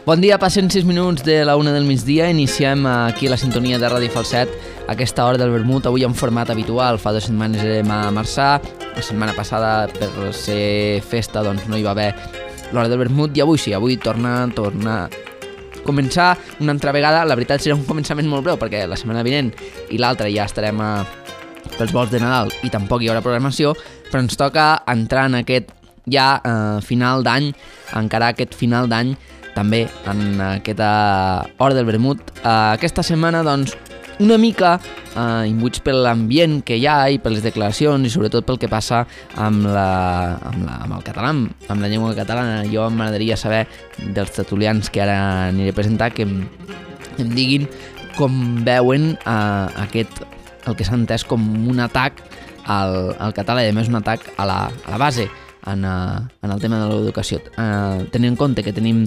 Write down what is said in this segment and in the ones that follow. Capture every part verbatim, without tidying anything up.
Bon dia, passen sis minuts de la una del migdia. Iniciem aquí a la sintonia de Ràdio Falset aquesta hora del vermut, avui en format habitual. Fa dues setmanes érem a Marçà, la setmana passada per ser festa doncs no hi va haver l'hora del vermut i avui sí, avui torna, torna a començar una altra vegada. La veritat serà un començament molt breu perquè la setmana vinent i l'altra ja estarem a, pels vols de Nadal i tampoc hi haurà programació, però ens toca entrar en aquest ja eh, final d'any, encara aquest final d'any també en aquesta hora del vermut. Uh, aquesta setmana, doncs, una mica uh, imbuïts per l'ambient que hi ha i per les declaracions i sobretot pel que passa amb, la, amb, la, amb el català, amb la llengua catalana. Jo m'agradaria saber dels tertulians que ara aniré a presentar que em, em diguin com veuen uh, aquest, el que s'ha entès com un atac al, al català i a més un atac a la, a la base en, uh, en el tema de l'educació. Uh, tenint en compte que tenim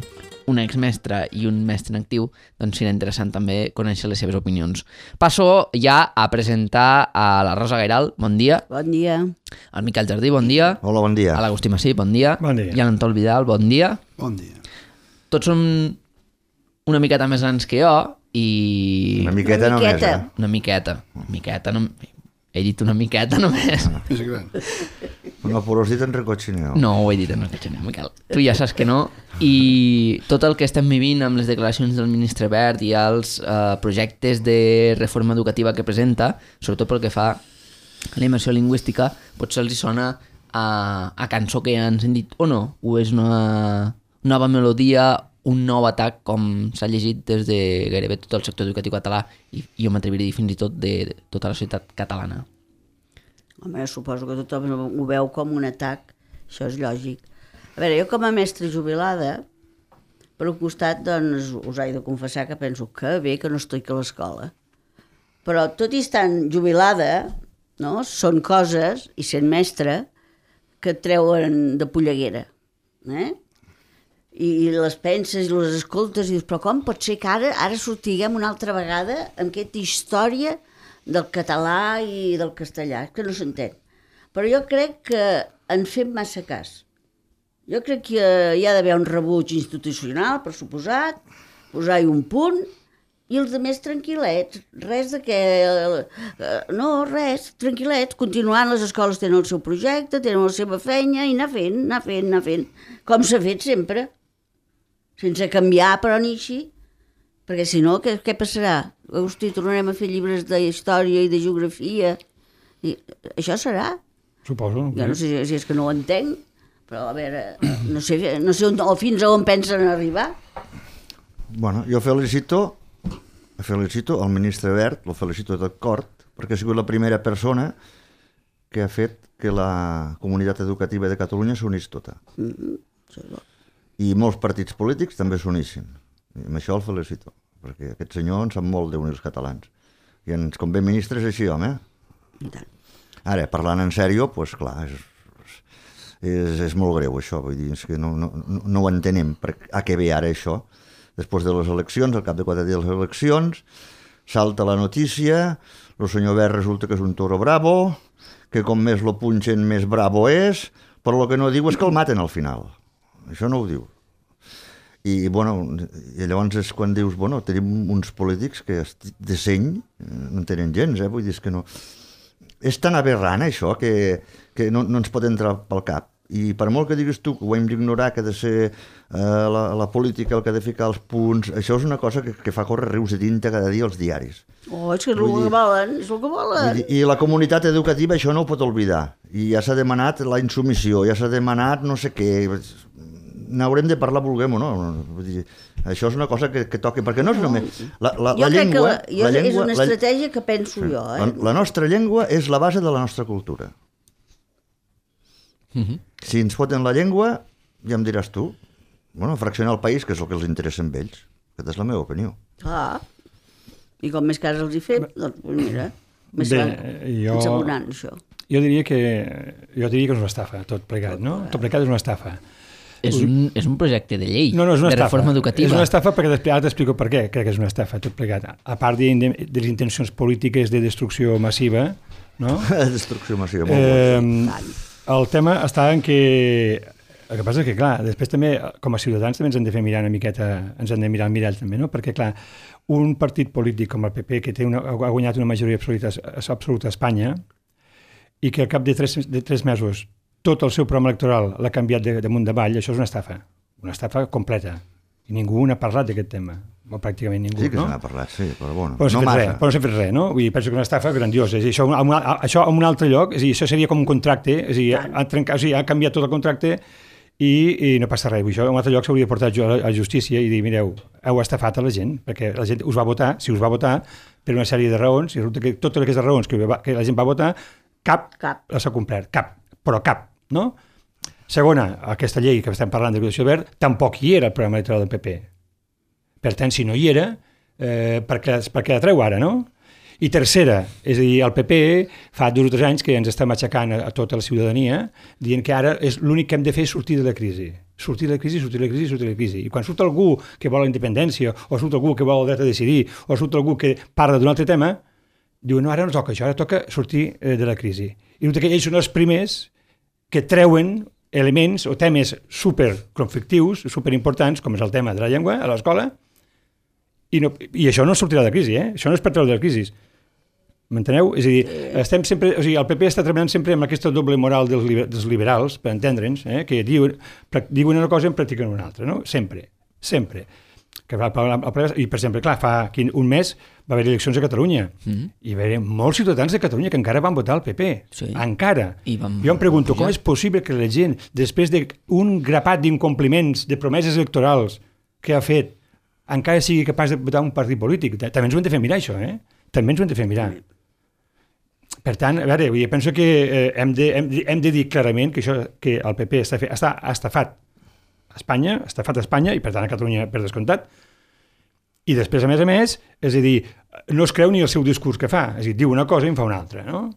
un exmestre i un mestre en actiu, doncs serà interessant també conèixer les seves opinions. Passo ja a presentar a la Rosa Gairal, bon dia. Bon dia. Al Miquel Jardí, bon dia. Hola, bon dia. A l'Agustí Massí, bon dia. Bon dia. I a l'Antol Vidal, bon dia. Bon dia. Tots som una miqueta més grans que jo i... Una miqueta Una només, miqueta. eh? Una miqueta. Una miqueta, no... He dit una miqueta només. És gran. No, però has dit en recotxineu. No, ho he dit en recotxineu, Miquel. Tu ja saps que no. I tot el que estem vivint amb les declaracions del ministre Wert i els eh, projectes de reforma educativa que presenta, sobretot pel que fa a la immersió lingüística, potser els hi sona a, a cançó que ja ens han dit o no, o és una nova melodia, un nou atac com s'ha llegit des de gairebé tot el sector educatiu català i jo m'atreviria a dir fins i tot de, de tota la societat catalana. Home, suposo que tothom ho veu com un atac, això és lògic. A veure, jo com a mestra jubilada, per un costat, doncs, us he de confessar que penso que bé que no estic a l'escola. Però tot i estant jubilada, no, són coses, i sent mestra, que et treuen de polleguera, eh? I les penses i les escoltes i dius, però com pot ser que ara, ara sortiguem una altra vegada amb aquesta història del català i del castellà, que no s'entén. Però jo crec que en fem massa cas. Jo crec que hi ha d'haver un rebuig institucional, per suposat, posar-hi un punt, i els altres tranquil·lets, res de que... No, res, tranquil·lets, continuant, les escoles tenen el seu projecte, tenen la seva feina, i anar fent, anar fent, anar fent, com s'ha fet sempre. Sense canviar, però ni així, perquè si no, què, què passarà? Hosti, tornarem a fer llibres de història i de geografia, i això serà? Suposo. Jo no sé si és que no ho entenc, però a veure, no sé, no sé on, o fins a on pensen arribar. Bueno, jo felicito, felicito el ministre Wert, el felicito de tot cor, perquè ha sigut la primera persona que ha fet que la comunitat educativa de Catalunya s'unís tota. Mm-hmm. Això és bo. I molts partits polítics també s'unissin. I amb això el felicito, perquè aquest senyor en sap molt d'unir els catalans. I ens convé ministres així, home. I tant. Ara, parlant en sèrio, doncs clar, és, és, és molt greu això, vull dir, és que no, no, no ho entenem, a què ve ara això. Després de les eleccions, al cap de quatre dies de les eleccions, salta la notícia, el senyor Wert resulta que és un toro bravo, que com més lo punxen més bravo és, però el que no diu és que el maten al final. Això no ho diu. I, bueno, i llavors és quan dius, bueno, tenim uns polítics que de seny no en tenen gens, eh? Vull dir, és que no... És tan aberrant això que, que no, no ens pot entrar pel cap. I per molt que diguis tu que ho hem d'ignorar, que ha de ser eh, la, la política el que ha de ficar els punts, això és una cosa que, que fa córrer rius de tinta cada dia als diaris. Oh, és que és el que volen, és el que volen. Dir, I la comunitat educativa això no ho pot oblidar. I ja s'ha demanat la insumissió, ja s'ha demanat no sé què... N'haurem de parlar, vulguem o no. Vull dir, això és una cosa que, que toca, perquè no és només... La, la, jo la crec llengua, que la, jo, la llengua, és una la, estratègia que penso sí, jo. Eh? La, la nostra llengua és la base de la nostra cultura. Mm-hmm. Si ens foten la llengua, ja em diràs tu, bueno, fraccionar el país, que és el que els interessa amb ells. Aquesta és la meva opinió. Ah, i com més cas els hi fem, doncs mira, més Bé, va jo... assegurant això. Jo diria que jo diria que és una estafa, tot plegat, no? Tot plegat és una estafa. És un, és un projecte de llei, no, no, és una de estafa. reforma educativa. És una estafa perquè després, ara t'explico per què crec que és una estafa, tot plegat. A part de, de, de les intencions polítiques de destrucció massiva, no? Destrucció massiva, molt eh, el tema està en que El que passa és que, clar, després també, com a ciutadans, també ens hem de fer mirar una miqueta, ens hem de mirar al mirall també, no? Perquè, clar, un partit polític com el P P, que té una, ha guanyat una majoria absoluta, absoluta a Espanya, i que al cap de tres, de tres mesos tot el seu programa electoral l'ha canviat de, de munt d'avall, això és una estafa, una estafa completa. I ningú n'ha parlat d'aquest tema, o pràcticament ningú, sí que no? se n'ha parlat, sí, però bueno, però no, no massa. Res, però no s'ha fet res, no? Vull dir, penso que una estafa grandiosa. És a dir, això, a un, a, això a un altre lloc, és a dir, això seria com un contracte, és a dir, ha, trencat, o sigui, ha canviat tot el contracte i, i no passa res. Vull dir, això a un altre lloc s'hauria de portar a la justícia i dir, mireu, heu estafat a la gent, perquè la gent us va votar, si us va votar, per una sèrie de raons, i resulta que totes aquestes raons que, va, que la gent va votar, cap, cap. les ha complert, cap, però cap, no? Segona, aquesta llei que estem parlant de l'educació verd, tampoc hi era el programa electoral del P P. Per tant, si no hi era, eh, per, què, per què la treu ara, no? I tercera, és a dir, el P P fa dos o tres anys que ens està matxacant a, a tota la ciutadania, dient que ara és l'únic que hem de fer és sortir de la crisi. Sortir de la crisi, sortir de la crisi, sortir de la crisi. I quan surt algú que vol la independència, o surt algú que vol el dret a decidir, o surt algú que parla d'un altre tema, diu, no, ara no toca això, ara toca sortir eh, de la crisi. I que ells són els primers que treuen elements o temes superconflictius, superimportants, com és el tema de la llengua a l'escola, i, no, i això no sortirà de crisi, eh? Això no és per treure de la crisi. M'enteneu? És a dir, estem sempre, o sigui, el P P està treballant sempre amb aquesta doble moral dels, liber, dels liberals, per entendre'ns, eh? Que diuen, diuen una cosa i en practiquen una altra, no? Sempre, sempre. Que va, I, per exemple, clar, fa un mes va haver eleccions a Catalunya mm-hmm. i va haver molts ciutadans de Catalunya que encara van votar el P P. Sí. Encara. I vam... Jo em pregunto, com és possible que la gent, després d'un grapat d'incompliments, de promeses electorals que ha fet, encara sigui capaç de votar un partit polític? També ens ho hem de fer mirar, això, eh? També ens ho hem de fer mirar. Per tant, a veure, jo penso que eh, hem, de, hem, de, hem de dir clarament que, això, que el P P està, fe, està estafat a Espanya, estafat a Espanya, i per tant a Catalunya per descomptat, i després, a més a més, és a dir, no es creu ni el seu discurs que fa, és a dir, diu una cosa i en fa una altra, no?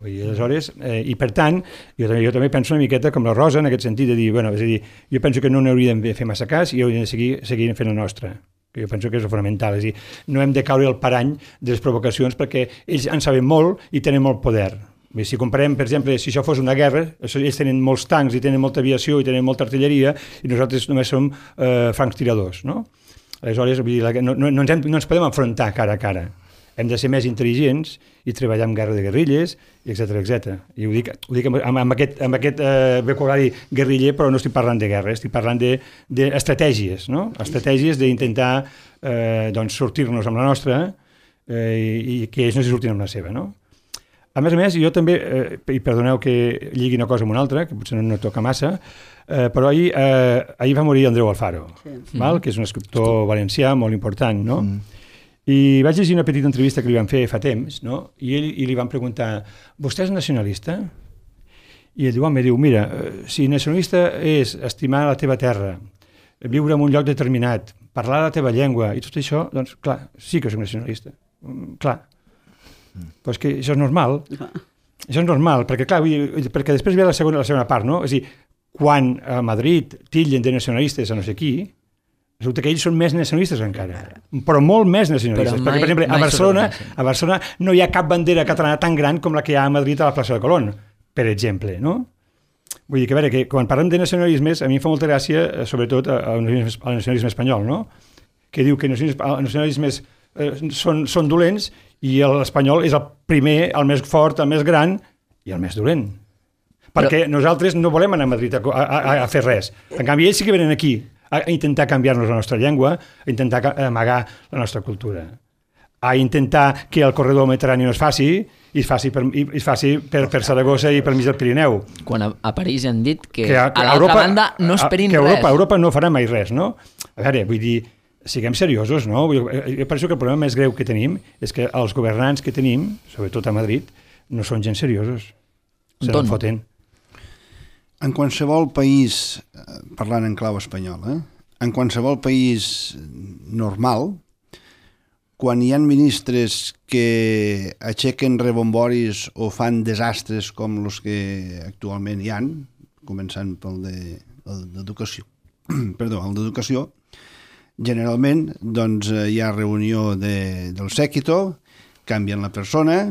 Vull dir, aleshores, eh, i per tant, jo també, jo també penso una miqueta com la Rosa, en aquest sentit, de dir, bueno, és a dir, jo penso que no n'hauríem de fer massa cas i hauríem de seguir, seguir fent la nostra, que jo penso que és fonamental, és a dir, no hem de caure al parany de les provocacions perquè ells en saben molt i tenen molt poder. Si comparem, per exemple, si això fos una guerra, ells tenen molts tancs i tenen molta aviació i tenen molta artilleria i nosaltres només som eh, francs tiradors, no? Aleshores, vull dir, no, no, no, ens hem, no ens podem enfrontar cara a cara. Hem de ser més intel·ligents i treballar en guerra de guerrilles, etcètera, etcètera. I ho dic, ho dic amb, amb aquest, amb aquest eh, vocabulari guerriller, però no estic parlant de guerra, estic parlant d'estratègies, de, no? Estratègies d'intentar eh, doncs, sortir-nos amb la nostra eh, i, i que ells no s'hi surtin amb la seva, no? A més a més, jo també, eh, i perdoneu que lligui una cosa amb una altra, que potser no, no toca massa, eh, però ahir, eh, ahir va morir Andreu Alfaro, sí. val? Que és un escriptor valencià molt important, no? Mm. I vaig llegir una petita entrevista que li van fer fa temps, no? I, ell, i li van preguntar, vostè és nacionalista? I ell diu, home, diu, mira, si nacionalista és estimar la teva terra, viure en un lloc determinat, parlar la teva llengua i tot això, doncs, clar, sí que soc nacionalista, clar. Però és que això és normal, això és normal, perquè clar, perquè després ve la segona, la segona part, no? És a dir, quan a Madrid tillen de nacionalistes a no sé qui, resulta que ells són més nacionalistes encara, però molt més nacionalistes, mai, perquè per exemple a Barcelona, a Barcelona no hi ha cap bandera catalana tan gran com la que hi ha a Madrid a la plaça de Colón, per exemple, no? Vull dir que, a veure, que quan parlem de nacionalismes, a mi em fa molta gràcia, sobretot al nacionalisme espanyol, no? Que diu que els nacionalismes eh, són, són dolents i l'espanyol és el primer, el més fort, el més gran i el més dolent. Perquè Però... nosaltres no volem anar a Madrid a, a, a fer res. En canvi, ells sí que venen aquí a intentar canviar-nos la nostra llengua, a intentar amagar la nostra cultura, a intentar que el corredor mediterrani no es faci i es faci per, i es faci per, per Saragossa i per mig del Pirineu. Quan a, a París han dit que, que a, a l'altra banda no esperin que Europa, res. Europa no farà mai res, no? A veure, vull dir, siguem seriosos, no? Jo penso que el problema més greu que tenim és que els governants que tenim, sobretot a Madrid, no són gens seriosos. Se no foten. En qualsevol país, parlant en clau espanyol, eh? en qualsevol país normal, quan hi ha ministres que aixequen rebomboris o fan desastres com els que actualment hi ha, començant pel d'educació, perdó, el d'educació, generalment doncs, hi ha reunió de, del séquito, canvien la persona,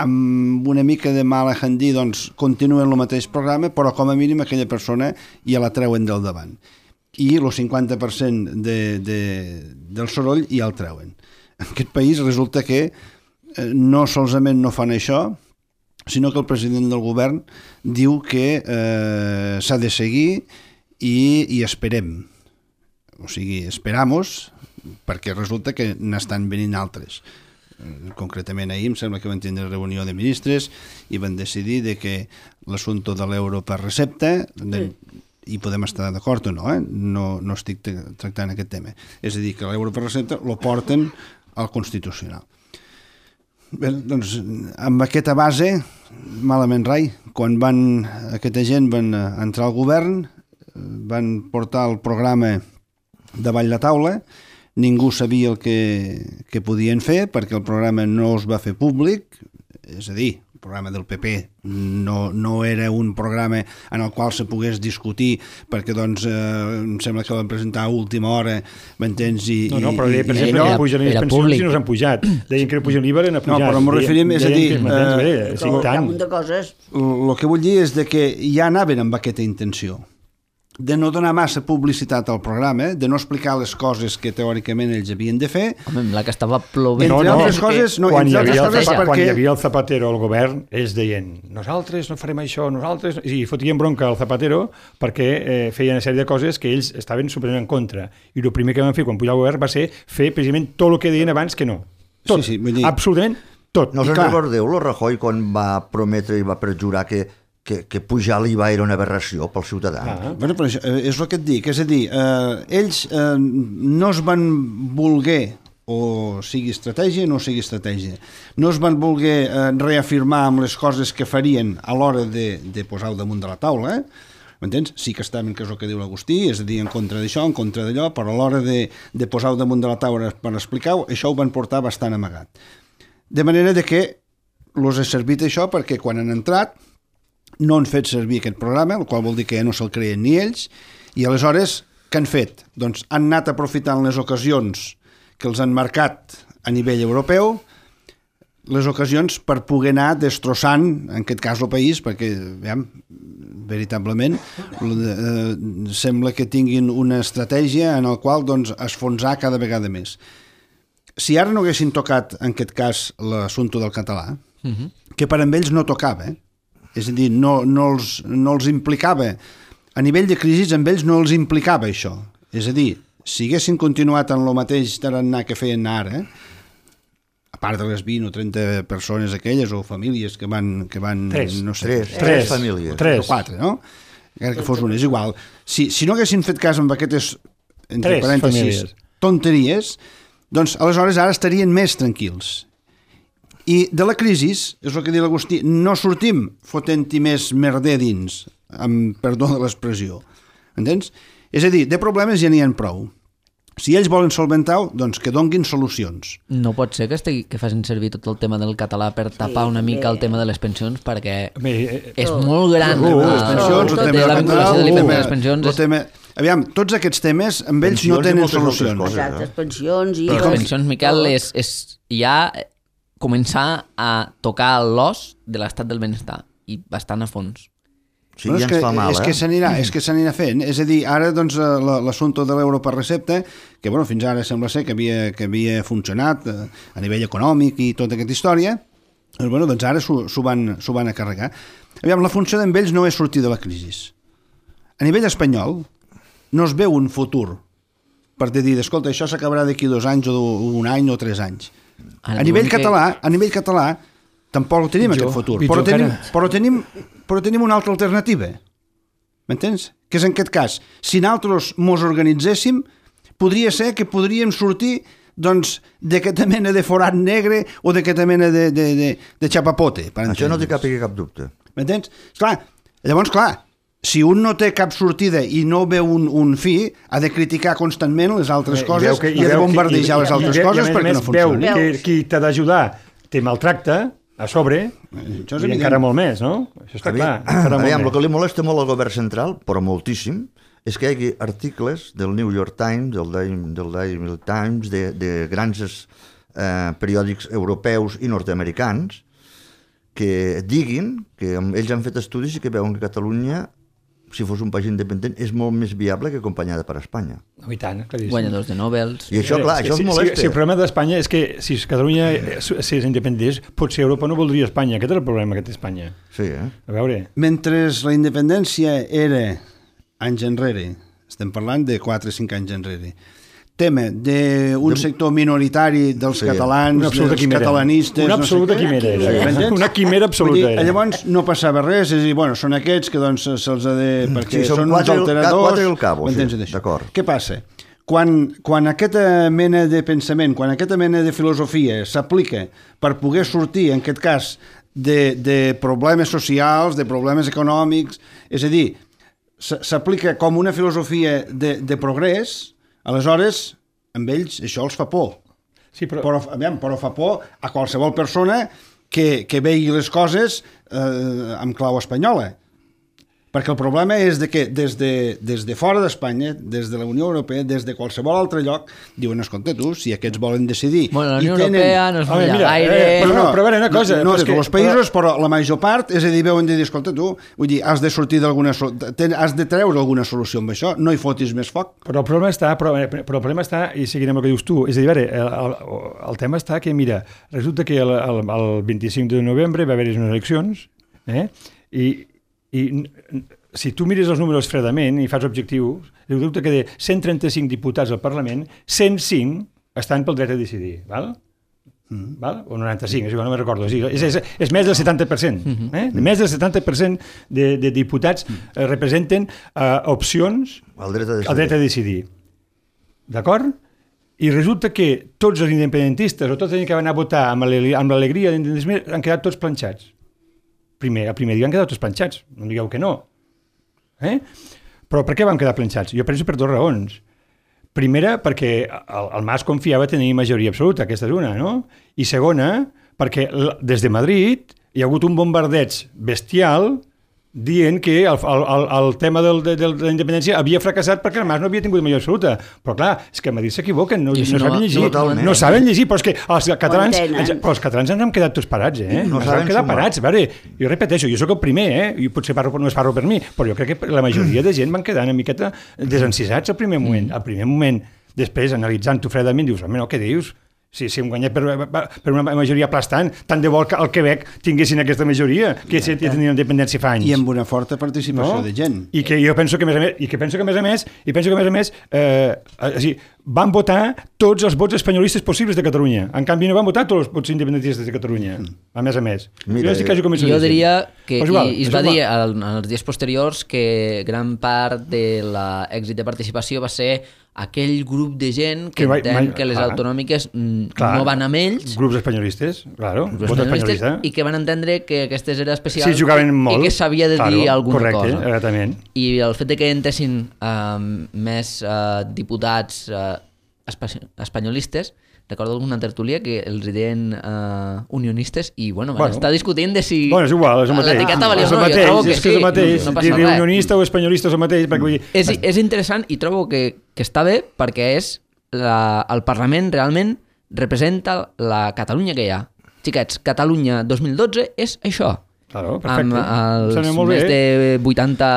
amb una mica de mala handí doncs, continuen el mateix programa, però com a mínim aquella persona ja la treuen del davant. I el cinquanta per cent de, de, del soroll ja el treuen. En aquest país resulta que eh, no solament no fan això, sinó que el president del govern diu que eh, s'ha de seguir i, i esperem. O sigui, esperamos, perquè resulta que n'estan venint altres. Concretament ahir em sembla que van tindre reunió de ministres i van decidir de que l'assumpte de l'euro per recepta, de, i podem estar d'acord o no, eh? no, no estic tractant aquest tema, és a dir, que l'euro per recepta lo porten al Constitucional. Bé, doncs, amb aquesta base, malament rai, quan van, aquesta gent van entrar al govern, van portar el programa davall la taula, ningú sabia el que, que podien fer perquè el programa no es va fer públic, és a dir, el programa del P P no, no era un programa en el qual se pogués discutir perquè doncs eh, em sembla que van presentar a última hora, m'entens? I, no, no, però i, per i, exemple, no, que pugen les pensions i no s'han pujat. Deien que no pugen l'I V A i no han pujat. No, però m'ho referim, és a dir, eh, un de coses. El que vull dir és de que ja anaven amb aquesta intenció de no donar massa publicitat al programa, de no explicar les coses que teòricament ells havien de fer. Home, la que estava plovent. No, no, altres coses, no, quan, hi entre havia altres el, coses quan perquè... hi havia el Zapatero al govern, ells deien, nosaltres no farem això, nosaltres... I fotien bronca al Zapatero perquè eh, feien una sèrie de coses que ells estaven superant en contra. I el primer que van fer quan pujar al govern va ser fer precisament tot el que deien abans que no. Tot, sí, sí, vull dir... absolutament tot. No us en recordeu, el Rajoy, quan va prometre i va perjurar que que, que pujar l'I V A era una aberració pel ciutadà. Ah. Bueno, però això, és el que et dic, és a dir, eh, ells eh, no es van voler, o sigui estratègia o no sigui estratègia, no es van voler eh, reafirmar amb les coses que farien a l'hora de, de posar-ho damunt de la taula, eh? M'entens? Sí que estaven, que és el que diu l'Agustí, és a dir, en contra d'això, en contra d'allò, però a l'hora de, de posar-ho damunt de la taula per explicar-ho, això ho van portar bastant amagat. De manera de que els ha servit això perquè quan han entrat no han fet servir aquest programa, el qual vol dir que ja no se'l creien ni ells, i aleshores, què han fet? Doncs han anat aprofitant les ocasions que els han marcat a nivell europeu, les ocasions per poder anar destrossant, en aquest cas, el país, perquè, veiem, veritablement, eh, sembla que tinguin una estratègia en la qual doncs, esfonsar cada vegada més. Si ara no haguessin tocat, en aquest cas, l'assumpte del català, uh-huh. que per amb ells no tocava, eh? És a dir, no, no, els, no els implicava, a nivell de crisi amb ells no els implicava això. És a dir, si haguessin continuat en el mateix tarannà que feien ara, a part de les vint o trenta persones aquelles o famílies que van... Que van tres, no sé, tres, tres, tres famílies. Tres. O quatre, no? Encara que fos una, és igual. Si, si no haguessin fet cas amb aquestes, entre tres parèntesis, famílies. tonteries, doncs aleshores ara estarien més tranquils. I de la crisi, és el que diu l'Agustí, no sortim fotent-hi més merder dins, amb perdó de l'expressió. Entens? És a dir, de problemes ja n'hi ha prou. Si ells volen solventar-ho, doncs que donguin solucions. No pot ser que, estigui, que facin servir tot el tema del català per tapar una mica el tema de les pensions, perquè Bé, eh, és molt gran. Uh, les pensions, el tema la del vinculació de l'I P F a les pensions. el tema... Aviam, tots aquests temes, amb ells no Pensions i tenen moltes altres solucions. coses. Exactes, pensions i... Però les pensions, Miquel, és, és ja començar a tocar l'os de l'estat del benestar i bastant a fons. Sí, Bueno, ja és ens que, fa mal, és eh? que s'anirà, és que s'anirà fent. És a dir, ara doncs, l'assumpte de l'euro per recepta, que bueno, fins ara sembla ser que havia, que havia funcionat eh, a nivell econòmic i tota aquesta història, doncs, bueno, doncs ara s'ho van, s'ho van a carregar. Aviam, la funció d'en ells no és sortir de la crisi. A nivell espanyol no es veu un futur per dir, escolta, això s'acabarà d'aquí dos anys o un any o tres anys. Ara A nivell diuen que- català, a nivell català tampoc tenim Pitjor, aquest futur, pitjor però tenim, encara. però, tenim, però tenim una altra alternativa. M'entens? Que és en aquest cas, si nosaltres mos organitzéssim, podria ser que podríem sortir doncs, d'aquesta mena de forat negre o d'aquesta mena de, de, de, de xapapote. Per Això no té entendre'ns. cap, cap dubte. M'entens? Clar, llavors, clar, si un no té cap sortida i no veu un, un fi, ha de criticar constantment les altres I coses veu que- i, ha de veu que- bombardejar i- les i- altres i- i a coses més a perquè més no funcionen. Veu que qui t'ha d'ajudar te maltracta a sobre, Això és i evident. encara molt més, no? Això està clar. Aviam, encara molt aviam, el més. que li molesta molt al govern central, però moltíssim, és que hi hagi articles del New York Times, del Daily, del Daily Times, de, de grans eh, periòdics europeus i nord-americans, que diguin que ells han fet estudis i que veuen que Catalunya, si fos un país independent, és molt més viable que acompanyada per Espanya. No, i tant, claríssim. Guanyadors de Nobels... I això, clar, això si, és molesta. Si, si el problema d'Espanya és que si Catalunya si és independent, potser Europa no voldria Espanya. Aquest és el problema que té Espanya. Sí, eh? A veure... Mentre la independència era anys enrere, estem parlant de quatre o cinc anys enrere, tema d'un sector minoritari dels Sí. catalans, Una absoluta dels quimera. catalanistes... Una no sé absoluta què. quimera era. M'entens? Una quimera absoluta Vull dir, era. llavors no passava res, és a dir, bueno, són aquests que doncs se'ls ha de... perquè Sí, són són uns quatre i el- alteradors... quatre i el cabo, sí, m'entens d'això? d'acord. Què passa? Quan, quan aquesta mena de pensament, quan aquesta mena de filosofia s'aplica per poder sortir, en aquest cas, de, de problemes socials, de problemes econòmics, és a dir, s- s'aplica com una filosofia de, de progrés, aleshores, amb ells això els fa por. Sí, però... Però, aviam, però fa por a qualsevol persona que, que vegi les coses eh, amb clau espanyola. Perquè el problema és de que des de, des de fora d'Espanya, des de la Unió Europea, des de qualsevol altre lloc, diuen, escolta tu, si aquests volen decidir... Bueno, la i Unió tenen- Europea no és Home, molt mira, gaire... eh, però no, però a veure, una cosa, No, no però és de tots que- els països, però... però la major part, és a dir, veuen de dir, escolta tu, vull dir, has de sortir d'alguna... sol- ten- has de treure alguna solució amb això, no hi fotis més foc. Però el problema està, però, però el problema està, i seguirem el que dius tu, és a dir, a veure, el, el, el tema està que, mira, resulta que el, el, el vint-i-cinc de novembre va haver-hi unes eleccions, eh? I, i si tu mires els números fredament i fas objectius, resulta que de cent trenta-cinc diputats al Parlament, cent cinc estan pel dret a decidir, val? Mm. Val? O noranta-cinc, és igual, no me'n recordo. És, és, és, és més del setanta per cent. Eh? Més del setanta per cent de, de diputats eh, representen eh, opcions El dret a decidir. el dret a decidir. D'acord? I resulta que tots els independentistes o tots els que van anar a votar amb l'alegria amb l'alegria d'independentisme han quedat tots planxats. Primer, a primer dia han quedat tots planxats, no digueu que no. Eh? Però per què van quedar planxats? Jo penso per dues raons. Primera, perquè el, el Mas confiava tenir majoria absoluta, aquesta és una, no? I segona, perquè l- des de Madrid hi ha hagut un bombardeig bestial dient que el, el, el, el tema del, de, de la independència havia fracassat perquè el Mas no havia tingut majoria absoluta. Però clar, és que a Madrid s'equivoquen, no, I no això no- saben llegir. totalment. No saben llegir, però és que els catalans, entenen. ens, però els catalans ens hem quedat tots parats, eh? No ens saben hem quedat sumar. parats. A veure, jo repeteixo, jo sóc el primer, eh? I potser parlo, no es parlo per mi, però jo crec que la majoria de gent van quedar una miqueta desencisats al primer moment. Al primer moment, després, analitzant-ho fredament, dius, home, no, què dius? Si, si hem guanyat per, per una majoria aplastant, tant de bo que al Quebec tinguessin aquesta majoria, que ja tenien independència fa anys. I amb una forta participació No? de gent. I que jo penso que a més a més, i que penso que a més a més, i penso que a més a més, eh, o sigui, van votar tots els vots espanyolistes possibles de Catalunya. En canvi no van votar tots els vots independentistes de Catalunya. A més a més. Mira, jo estic quasi convençut Jo d'això. diria que, Però és igual, i, i es és va igual. dir al, en els dies posteriors que gran part de l'èxit de participació va ser aquell grup de gent que, Que va- entén mai- que les clar. autonòmiques mm, Clar. no van amb ells, Grups espanyolistes, claro, grups vot espanyolistes, espanyolista. i que van entendre que aquestes era especial Sí, jugaven molt. i que s'havia de dir claro, alguna correcte, cosa. Exactament. I el fet de que entessin uh, més uh, diputats uh, espa- espanyolistes, recordo alguna tertúlia que els deien uh, unionistes i bueno, van Bueno. estar discutint de si Bueno, és igual, és el mateix. l'etiqueta valia és o el no. Jo mateix, trobo que és que és sí, el mateix. no, no passa Dir res. unionista o espanyolista és el mateix, perquè vull dir... És, és interessant i trobo que, que està bé perquè és la, el Parlament realment representa la Catalunya que hi ha. Xiquets, Catalunya dos mil dotze és això. Claro, Amb perfecte. els Sembla molt més bé. de vuitanta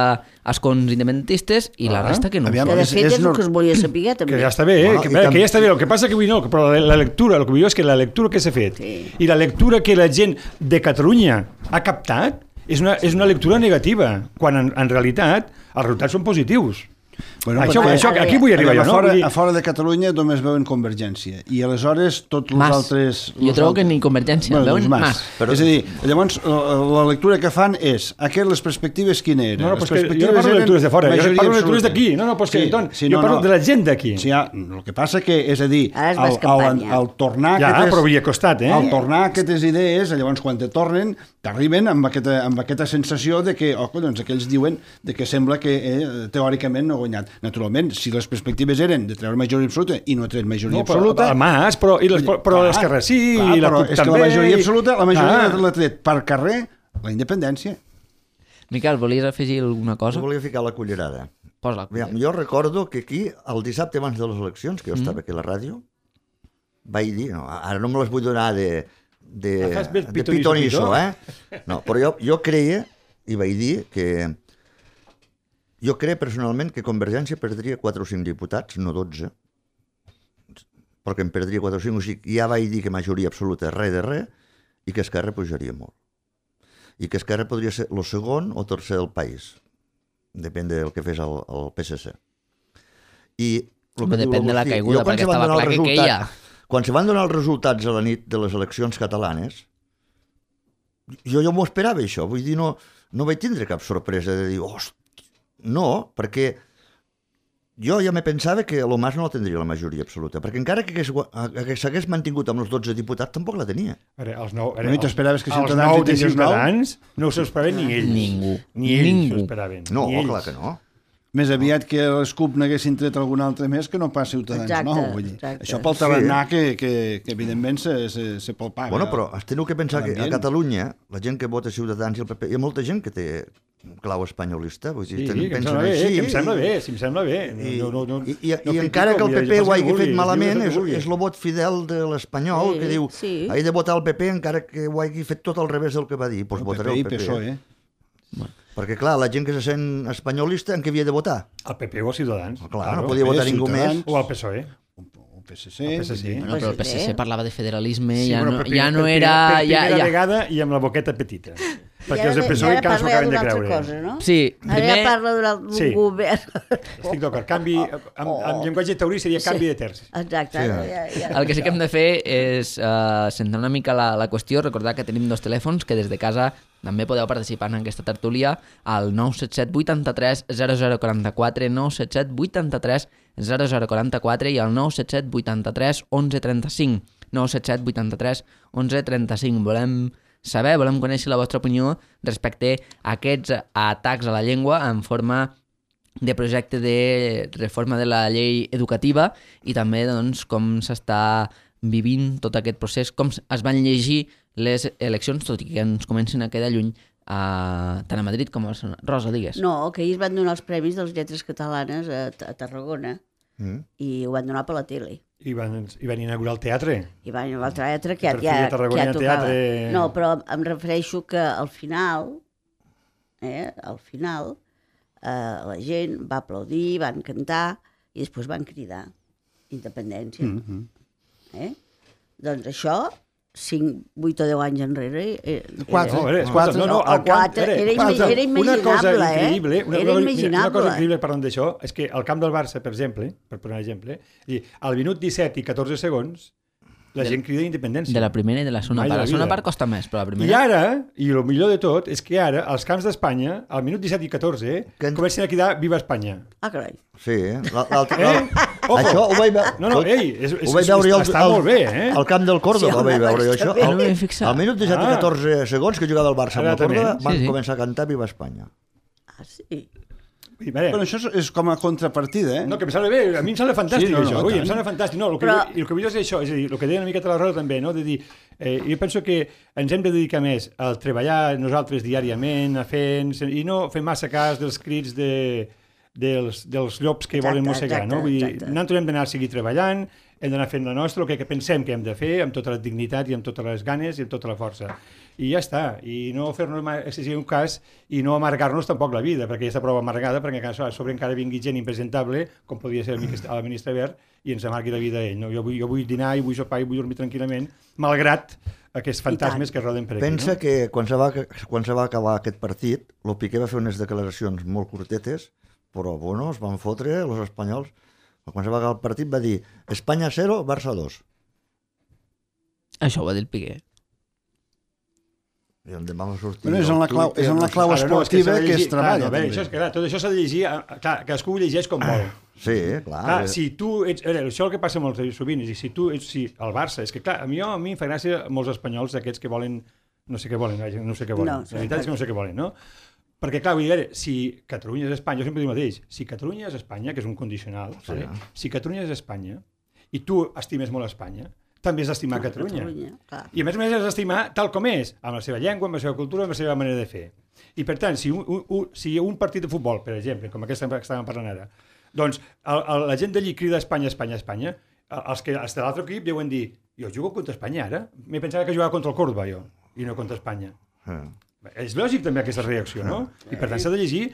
escons independentistes i la Ah, resta que no. aviam, Que de és- fet és és el nor- que es volia saber també. Que ja està bé, eh? Bueno, que, i que, tam- que ja està bé. El que passa que avui no, però la, la lectura, el que vull dir és que la lectura que s'ha fet Sí. i la lectura que la gent de Catalunya ha captat és una, és una lectura negativa, quan en, en realitat els resultats són positius. Bueno, això, perquè- això, aquí vull arribar a, jo, no? fora, Vull dir- a fora de Catalunya només veuen Convergència i aleshores tots els Mas. altres... Jo els trobo que altres- ni Convergència, bueno, veuen doncs Mas. Però- És a dir, llavors la, la lectura que fan és aquest, les perspectives quina eren? No, no, les però és que jo no perspectives parlo de eren lectures de fora, jo majoria parlo de lectures absoluta. d'aquí. No, no, però és que, Sí, Anton, sí, jo no, parlo no. de la gent d'aquí. Sí, ja, el que passa que, és a dir, Ara és al, més al, campanya. al tornar Ja, aquestes, però havia costat, eh? al tornar aquestes idees, llavors quan te tornen, t'arriben amb aquesta, amb aquesta sensació de que, oh, collons, aquells diuen de que sembla que eh, teòricament no ha guanyat. Naturalment, si les perspectives eren de treure majoria absoluta i no ha tret majoria No, però absoluta... el Mas, però, i les, però, però Clar, l'Esquerra sí, clar, i la però CUP és també. que la majoria absoluta, la majoria Ah. l'ha tret per carrer la independència. Miquel, volies afegir alguna cosa? Jo volia ficar la cullerada. Posa la Aviam, cullera. jo recordo que aquí, el dissabte abans de les eleccions, que jo estava aquí a la ràdio, vaig dir, no, ara no me les vull donar de, de, Fas bé de pitonisso, pitonisso, pitó. eh? No, però jo, jo creia, i vaig dir que... Jo creia personalment que Convergència perdria quatre o cinc diputats, no dotze, perquè en perdria quatre o cinc, o sigui, ja vaig dir que majoria absoluta res de res, i que Esquerra pujaria molt. I que Esquerra podria ser el segon o tercer del país, depèn del que fes el, el P S C. I el que Depèn de la caiguda, perquè estava clar que queia. Quan se van donar els resultats a la nit de les eleccions catalanes, jo, jo m'ho esperava, això. Vull dir, no, no vaig tindre cap sorpresa de dir, hosti, no, perquè jo ja me pensava que el Mas no la tindria la majoria absoluta, perquè encara que, que s'hagués mantingut amb els dotze diputats, tampoc la tenia. Ara, els nou, ara, No, i t'esperaves que els Ciutadans nou hi de tingués nou? Ciutadans no s'ho esperaven ni ells. Ningú. Ni ells Ningú. s'ho esperaven. No, ni ells. clar que no. Més aviat que els C U P n'haguessin tret algun altre més que no pas Ciutadans Exacte, nou. Vull dir. exacte. Això pel tarannà que, que, que evidentment se, se, se palpava. Bueno, però has tingut que pensar que a l'ambient. Catalunya, la gent que vota Ciutadans i el P P, hi ha molta gent que té clau espanyolista. Vull dir, Sí, ten- que em pensen sembla bé, així, que em sembla i- bé, si em sembla bé. I, no, no, no, i, i, no i encara que el P P ho hagi fet malament, és, és el vot fidel de l'espanyol, Sí, que diu, sí. he de votar el P P encara que ho hagi fet tot al revés del que va dir, doncs el votaré P P i el P P. PSOE. Perquè, clar, la gent que se sent espanyolista, en què havia de votar? El P P o Ciutadans. Clar, no podia votar ningú Ciutadans. més. O el PSOE. O P S C. El P S C. Bueno, però el P S C parlava de federalisme, Sí, ja, però no, per, pri- ja no per, era... Per ja, primera ja... vegada i amb la boqueta petita. Perquè I els del ara, PSOE i ara encara s'ho parla acaben de d'una altra creure. cosa, no? Sí, Ara primer... ja parla d'un Sí. govern. Estic d'acord. Canvi, amb, amb llenguatge taurí seria canvi de terç. Exacte. Sí. Ara, ja, ja, El que sí que hem de fer és uh, centrar una mica la, la qüestió, recordar que tenim dos telèfons que des de casa també podeu participar en aquesta tertúlia al nou set set vuitanta-tres zero zero quaranta-quatre, nou set set vuitanta-tres zero zero quaranta-quatre i al nou set set vuitanta-tres onze trenta-cinc, nou set set vuitanta-tres onze trenta-cinc. Volem saber, volem conèixer la vostra opinió respecte a aquests atacs a la llengua en forma de projecte de reforma de la llei educativa i també doncs, com s'està vivint tot aquest procés, com es van llegir les eleccions, tot i que ens comencen a quedar lluny a, tant a Madrid com a Barcelona. Rosa, digues. No, que ahir es van donar els premis de les lletres catalanes a, a Tarragona Mm. i ho van donar per la tele. I van, i van inaugurar el teatre. I van a l'altre teatre que ja, Per ja, fi a que Tarragona ja hi ha tocava. teatre. No, però em refereixo que al final, eh, al final, eh, la gent va aplaudir, van cantar i després van cridar independència. Mm -hmm. Eh? Doncs això, cinc, vuit o deu anys enrere... Eh, Quatre. No, era, No, quatre, no, no, o al camp, quatre, era ima- quatre. era Una cosa imaginable, eh? increïble, una, Era cosa, imaginable. una cosa increïble parlant d'això, és que al camp del Barça, per exemple, per posar un exemple, i al minut disset i catorze segons, la De- gent crida independència. De la primera i de la segona Mai de part. la La segona vida. part costa més, però la I primera... ara, i el millor de tot, és que ara, als camps d'Espanya, al minut disset i catorze, Que en- comencen a cridar Viva Espanya. Ah, carai. Sí, la- l'altre... Eh? Ojo. Això ho vaig veure... No, no, ei, és, és, ho vaig veure jo al, està al, molt bé, eh? al camp del Córdoba, Sí, home, vaig veure jo està això. bé. Al, No m'hi he fixat. al minut disset i Ah. catorze segons que jugava el Barça amb el Exactament. Córdoba, van Sí, sí. començar a cantar Viva Espanya. Ah, sí. I, bé, Però això és, és com a contrapartida, eh? no, que em sembla bé, a mi em sembla fantàstic Sí, no, no, això, ui, tant. em sembla fantàstic. No, el que, Però- vull, el que vull és això, és a dir, el que deia una miqueta la Rosa també, no? De dir, eh, jo penso que ens hem de dedicar més a treballar nosaltres diàriament, a fer, i no fer massa cas dels crits de, dels, dels llops que Exacte, volen mossegar, exacte, no? Vull dir, exacte. nosaltres hem d'anar a seguir treballant, hem d'anar fent la nostra, el que, que pensem que hem de fer, amb tota la dignitat i amb totes les ganes i amb tota la força. I ja està, i no fer-nos ma- excessiu cas i no amargar-nos tampoc la vida, perquè ja està prou amargada, perquè a sobre encara vingui gent impresentable, com podria ser el ministre, el ministre Wert, i ens amargui la vida a ell. No? Jo, vull, jo vull dinar i vull sopar i vull dormir tranquil·lament, malgrat aquests fantasmes que roden per aquí. Pensa no? que quan se, va, quan se va acabar aquest partit, el Piqué va fer unes declaracions molt curtetes, però bueno, es van fotre els espanyols. Quan se va acabar el partit va dir Espanya zero, Barça dos. Això ho va dir el Piqué. I on va sortir... Bueno, és en la clau, és en la clau Ara no, és que esportiva s'ha de que, llegir- es treballa. Clar, no, bé, també. això és que, clar, tot això s'ha de llegir, eh, clar, cadascú ho llegeix com vol. Sí, clar. Clar, si tu ets... A veure, això és el que passa molt sovint, és a dir, si tu ets... Si el Barça, és que clar, a mi, a mi em fa gràcia molts espanyols d'aquests que volen... No sé què volen, vaja, no sé què volen. No, No, la veritat és que no sé què volen, no? Perquè, clar, vull dir, a veure, si Catalunya és Espanya, jo sempre dic el mateix, si Catalunya és Espanya, que és un condicional, sí. vale? Si Catalunya és Espanya, i tu estimes molt Espanya, també has d'estimar Catalunya. Catalunya, clar. I a més a més has d'estimar tal com és, amb la seva llengua, amb la seva cultura, amb la seva manera de fer. I per tant, si un, un, un, si un partit de futbol, per exemple, com aquest que estàvem parlant ara, doncs el, el, la gent d'allí crida Espanya, Espanya, Espanya, els, que, els de l'altre equip deuen dir jo jugo contra Espanya ara, m'he pensat que jugava contra el Córdoba jo, i no contra Espanya. Ah. És lògic també aquesta reacció, no? I per tant s'ha de llegir,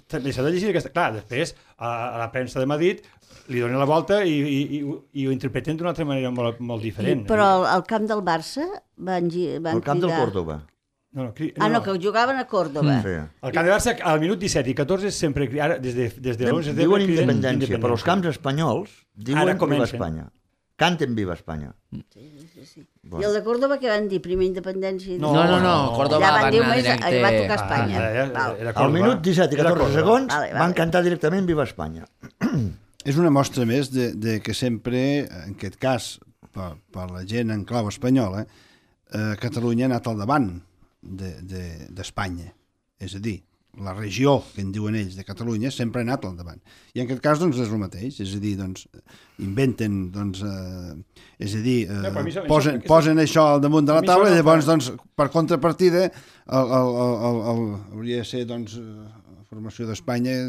també s'ha de llegir aquesta... Clar, després a, a la premsa de Madrid li donen la volta i, i, i, i ho interpreten d'una altra manera molt, molt diferent. I, però al, al camp del Barça van, van El camp cridar... del Córdoba. No, no, cri... Ah, no, que jugaven a Córdoba. Sí. El camp de Barça, al minut disset i catorze, sempre, ara, des de, des de l'onze de Diuen setembre, criden independència, però els camps espanyols diuen Ara Viva comencen. Espanya. Canten Viva Espanya. Sí, sí, sí. I el de Córdoba què van dir? Primer independència? i No, no, no, Córdoba Ja van va dir anar més, directe... va tocar Espanya. Ah, era- Val. era Al Córdoba. minut disset i Era catorze Córdoba. segons Vale, vale. van cantar directament Viva Espanya. És una mostra més de, de que sempre, en aquest cas, per, per la gent en clau espanyola, eh, Catalunya ha anat al davant d'Espanya. De, de, és a dir, la regió que en diuen ells de Catalunya sempre ha anat al davant. I en aquest cas doncs, és el mateix, és a dir, doncs, inventen, doncs, eh, és a dir, eh, No, però a mi això- posen, això- posen això al damunt de a la mi taula això i no llavors, fa- doncs, per contrapartida, el, el, el, el, el, hauria de ser, doncs, eh, la formació d'Espanya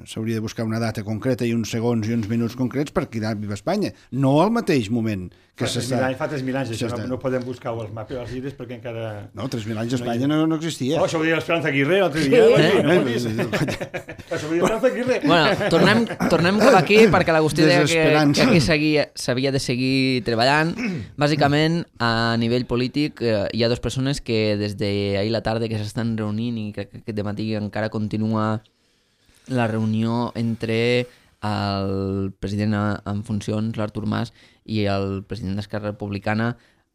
s'hauria de buscar una data concreta i uns segons i uns minuts concrets per cridar Viva Espanya, no al mateix moment que Fa tres s'està... mil anys, fa tres mil anys, això no, s'està- no podem buscar els mapes dels llibres perquè encara... No, tres mil anys a Espanya no, no existia. Oh, això ho deia l'Esperanza Aguirre l'altre dia. Sí. Sí. No ho he vist. Això ho deia l'Esperanza Aguirre. Bueno, tornem, tornem cap aquí perquè l'Agustí deia que, Desesperança. que aquí seguia, s'havia de seguir treballant. Bàsicament, a nivell polític, eh, hi ha dues persones que des d'ahir la tarda que s'estan reunint i crec que aquest matí encara continua la reunió entre el president en funcions, l'Artur Mas, i el president d'Esquerra Republicana,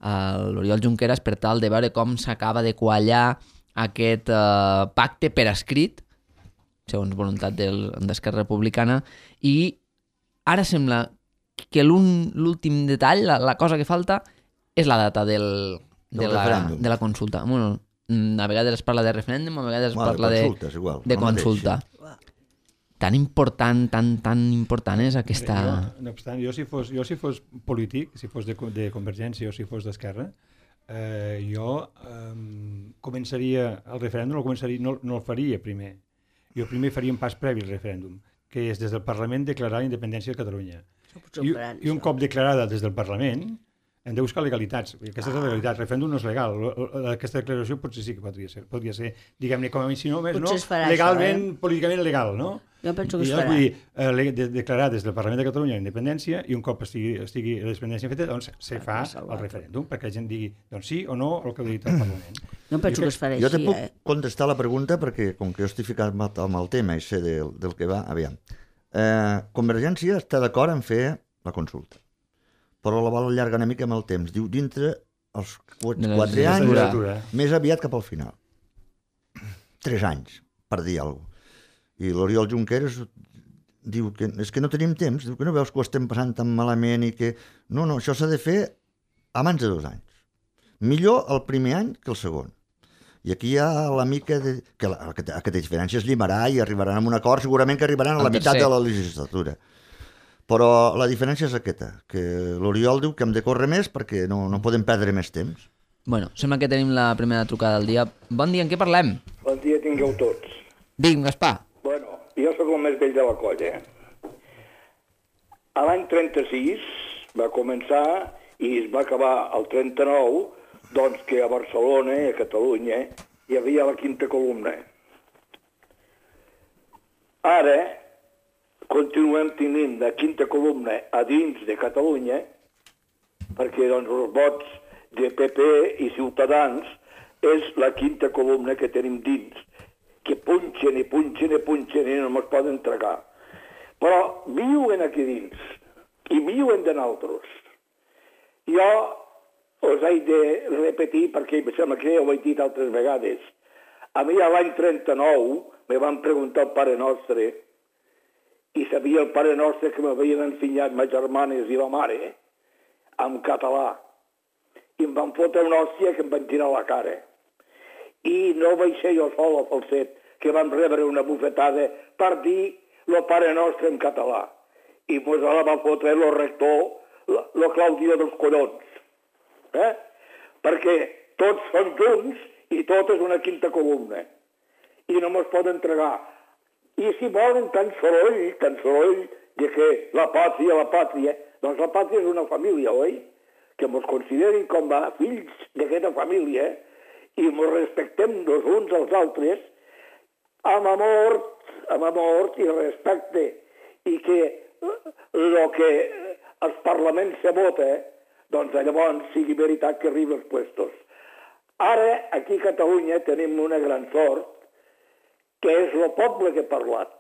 l'Oriol Junqueras, per tal de veure com s'acaba de quallar aquest eh, pacte per escrit, segons voluntat del- d'Esquerra Republicana, i ara sembla que l'un- l'últim detall, la, la cosa que falta, és la data del, de, Del la, referèndum. de la consulta. Bueno, mm, a vegades es parla de referèndum, a vegades es Bueno, de parla de, consulta, és igual, de el mateix, consulta. Tan important, tan, tan important és aquesta... Jo, no obstant, jo si fos, jo si fos polític, si fos de, de Convergència o si fos d'Esquerra, eh, jo eh, començaria, el referèndum no el, començaria, no, no el faria primer. Jo primer faria un pas previ al referèndum, que és des del Parlament declarar la independència de Catalunya. potser ho I, faran, I un això. cop declarada des del Parlament, hem de buscar legalitats. Aquesta és la legalitat. El referèndum no és legal. Aquesta declaració potser sí que podria ser. Podria ser, diguem-ne, com a mi, si no, més, no, Potser es farà legalment, això, eh? políticament legal, no? Jo penso que I es llavors, farà. vull dir, eh, le- de, declarar des del Parlament de Catalunya la independència i un cop estigui, estigui la independència feta, doncs se fa el referèndum, perquè la gent digui doncs sí o no el que ha dit el Parlament. Jo penso que es farà Jo te així, puc eh? contestar la pregunta perquè, com que jo estic ficat amb amb el tema i sé del, del que va, aviam. Eh, Convergència està d'acord en fer la consulta, però la vol allargar una mica amb el temps. Diu, dintre els qu- De la quatre anys, legislatura. més aviat cap al final. Tres anys, per dir alguna cosa. I l'Oriol Junqueras diu que és que no tenim temps, diu que no veus que ho estem passant tan malament i que... No, no, això s'ha de fer abans de dos anys. Millor el primer any que el segon. I aquí hi ha la mica de... que la, aquesta, aquesta diferència es llimarà i arribaran a un acord, segurament que arribaran a la El meitat tercer. de la legislatura. Però la diferència és aquesta, que l'Oriol diu que hem de córrer més perquè no, no podem perdre més temps. Bueno, sembla que tenim la primera trucada del dia. Bon dia, en què parlem? Bon dia tingueu tots. Digue'm, Gaspar. Bueno, jo sóc el més vell de la colla. A l'any trenta-sis va començar i es va acabar el trenta-nou, doncs que a Barcelona, a Catalunya, hi havia la quinta columna. Ara continuem tenint la quinta columna a dins de Catalunya, perquè doncs, els vots de P P i Ciutadans és la quinta columna que tenim dins, que punxen i punxen i punxen i no ens poden tragar. Però viuen aquí dins i viuen de nosaltres. Jo us he de repetir perquè em sembla que ja ho he dit altres vegades. A mi a l'any trenta-nou me van preguntar el Pare Nostre i sabia el Pare Nostre que m'havien ensenyat ma germanes i la mare en català. I em van fotre una hòstia que em van tirar a la cara. I no vaig ser jo sol al falset, que vam rebre una bufetada per dir lo Pare Nostre en català. I mos la va fotre el rector, lo Claudio dels collons. Eh? Perquè tots són junts i tot és una quinta columna. I no mos poden entregar. I si volen tan soroll, tan soroll, de que la pàtria, la pàtria, Doncs la pàtria és una família, oi? Que ens considerin com a fills d'aquesta família i ens respectem els uns als altres amb amor, amb amor i respecte, i que el que els parlaments se vota, doncs llavors sigui veritat que arribi als puestos. Ara, aquí a Catalunya, tenim una gran sort, que és el poble que ha parlat.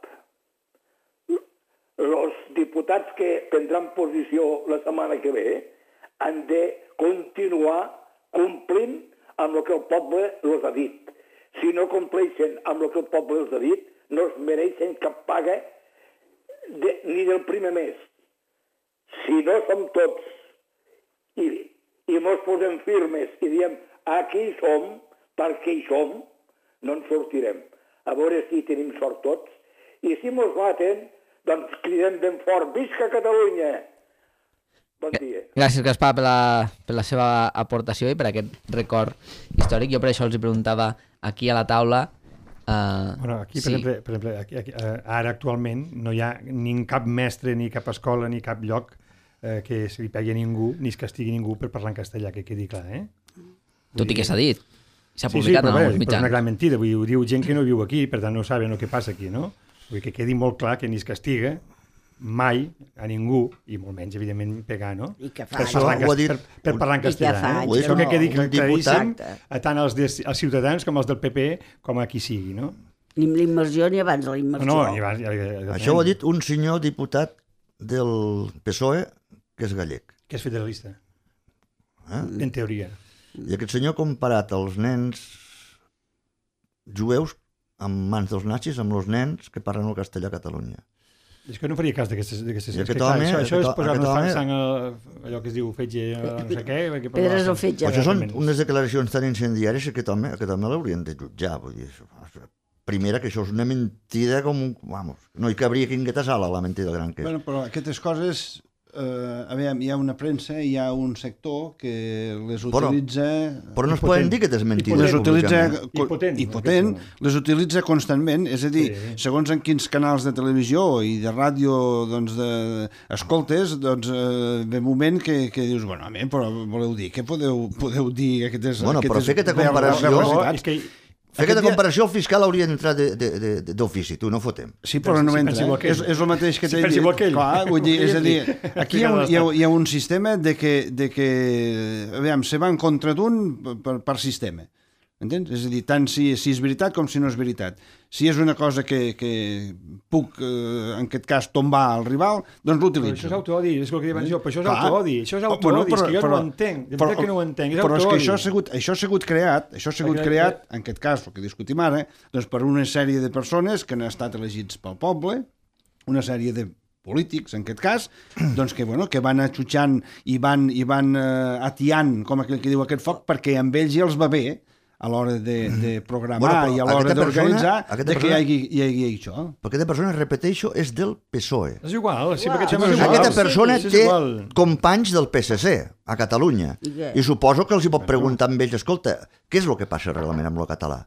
Els diputats que prendran posició la setmana que ve han de continuar complint amb el que el poble els ha dit. Si no compleixen amb el que el poble els ha dit, no es mereixen cap paga de, ni del primer mes. Si no som tots i, i mos posem firmes i diem aquí hi som, perquè hi som, no ens sortirem. A veure si tenim sort tots. I si mos maten, doncs cridem ben fort, visca Catalunya! Bon dia. Gràcies, Gaspar, per la, per la seva aportació i per aquest record històric. Jo per això els hi preguntava aquí a la taula. Uh, bueno, aquí, per sí. exemple, per exemple aquí, aquí, uh, ara actualment no hi ha ni cap mestre, ni cap escola, ni cap lloc uh, que se li pegui a ningú, ni es castigui ningú per parlar en castellà, que quedi clar, eh? Tot i que s'ha dit. S'ha sí, publicat sí, en però, els bé, mitjans. però és una gran mentida, vull dir, ho diu gent que no viu aquí, per tant no saben el que passa aquí, no? Vull dir, que quedi molt clar que ni es castiga mai a ningú, i molt menys, evidentment, pegar, no? I que fa Per anys. parlar en, Ho ha cas- dit- per, per parlar en I que castellà. fa Eh? anys Això que que quedi no. Un claríssim diputat. a tant als, des, als ciutadans com als del P P, com a qui sigui, no? Ni amb la immersió ni abans de la No, immersió. no, i va, ja, ja, ja, Això ho ha dit un senyor diputat del P S O E que és gallec. que és federalista, Eh? en teoria. I aquest senyor ha comparat els nens jueus en mans dels nazis amb els nens que parlen el castellà a Catalunya. És que no faria cas d'aquestes... d'aquestes- I és que, aquest clar, home- això, això aquest és ho- posar-nos aquest fang home- sang a, allò que es diu fetge, no sé què... perquè Pedres parlar- al fetge. Però això són Exactament. unes declaracions tan incendiàries que aquest home, aquest home l'haurien de jutjar. Vull dir, això, primera, que això és una mentida com un... Vamos, no hi cabria quingueta sala, la mentida gran que és. Bueno, però aquestes coses, eh, a veure, hi ha una premsa, hi ha un sector que les Però- utilitza... Però no es Impotent. poden dir que és mentida les utilitza públicament. co- Impotent, i potent, aquesta. les utilitza constantment, és a dir, Sí. segons en quins canals de televisió i de ràdio doncs, de, escoltes, doncs eh, ve un moment que, que dius, bueno, home, però voleu dir, què podeu, podeu dir aquestes... Bueno, però aquestes fer aquesta ver- comparació- veracitats? És que Fer aquesta Aquest dia- comparació, el fiscal hauria d'entrar de- de- de- d'ofici, tu, no fotem. Sí, però no Si entra. pensa igual que Eh? ell. És, és el mateix que Si t'he pensa dit. igual que ell. Clar, vull dir, és a dir, Explica aquí hi ha, un, hi, ha, l'estat. hi ha un sistema de que, de que aviam, se va en contra d'un per, per sistema. Entens? És a dir, tant si, si és veritat com si no és veritat. Si és una cosa que, que puc, eh, en aquest cas, tombar al rival, doncs Però l'utilitzo. això és autoodi, és el que diuen jo, però això és Clar. autoodi, això és Oh, autoodi, bueno, és que jo però- no ho entenc, de veritat que no ho entenc, és però és que autoodi. això ha sigut, això ha sigut creat, això ha sigut Perquè- creat, en aquest cas, el que discutim ara, doncs per una sèrie de persones que han estat elegits pel poble, una sèrie de polítics, en aquest cas, doncs que, bueno, que van atxutxant i van, i van eh, atiant, com aquell que diu aquest foc, perquè amb ells ja els va bé a l'hora de, de programar Bueno, però i a l'hora aquesta persona- d'organitzar aquesta de que hi persona- hagi, hi hagi això. Perquè aquesta persona, repeteixo, és del P S O E. És igual, sí, Uau. perquè això és igual. Aquesta persona Sí, és té igual. companys del P S C a Catalunya. I què? I suposo que els hi pot preguntar amb ells, escolta, què és el que passa realment amb el català?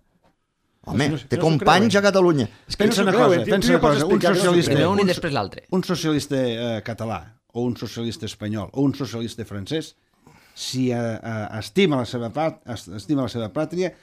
Home, No, no, té no s'ho companys creuen. a Catalunya. És que no Pensa s'ho una creuen, cosa, tu pensa ja una pots cosa, un explicar que no s'ho socialista- Primer un i un- després l'altre. Un socialista eh, català o un socialista espanyol o un socialista francès, si eh, eh, estima, la seva pat, es- estima la seva pàtria,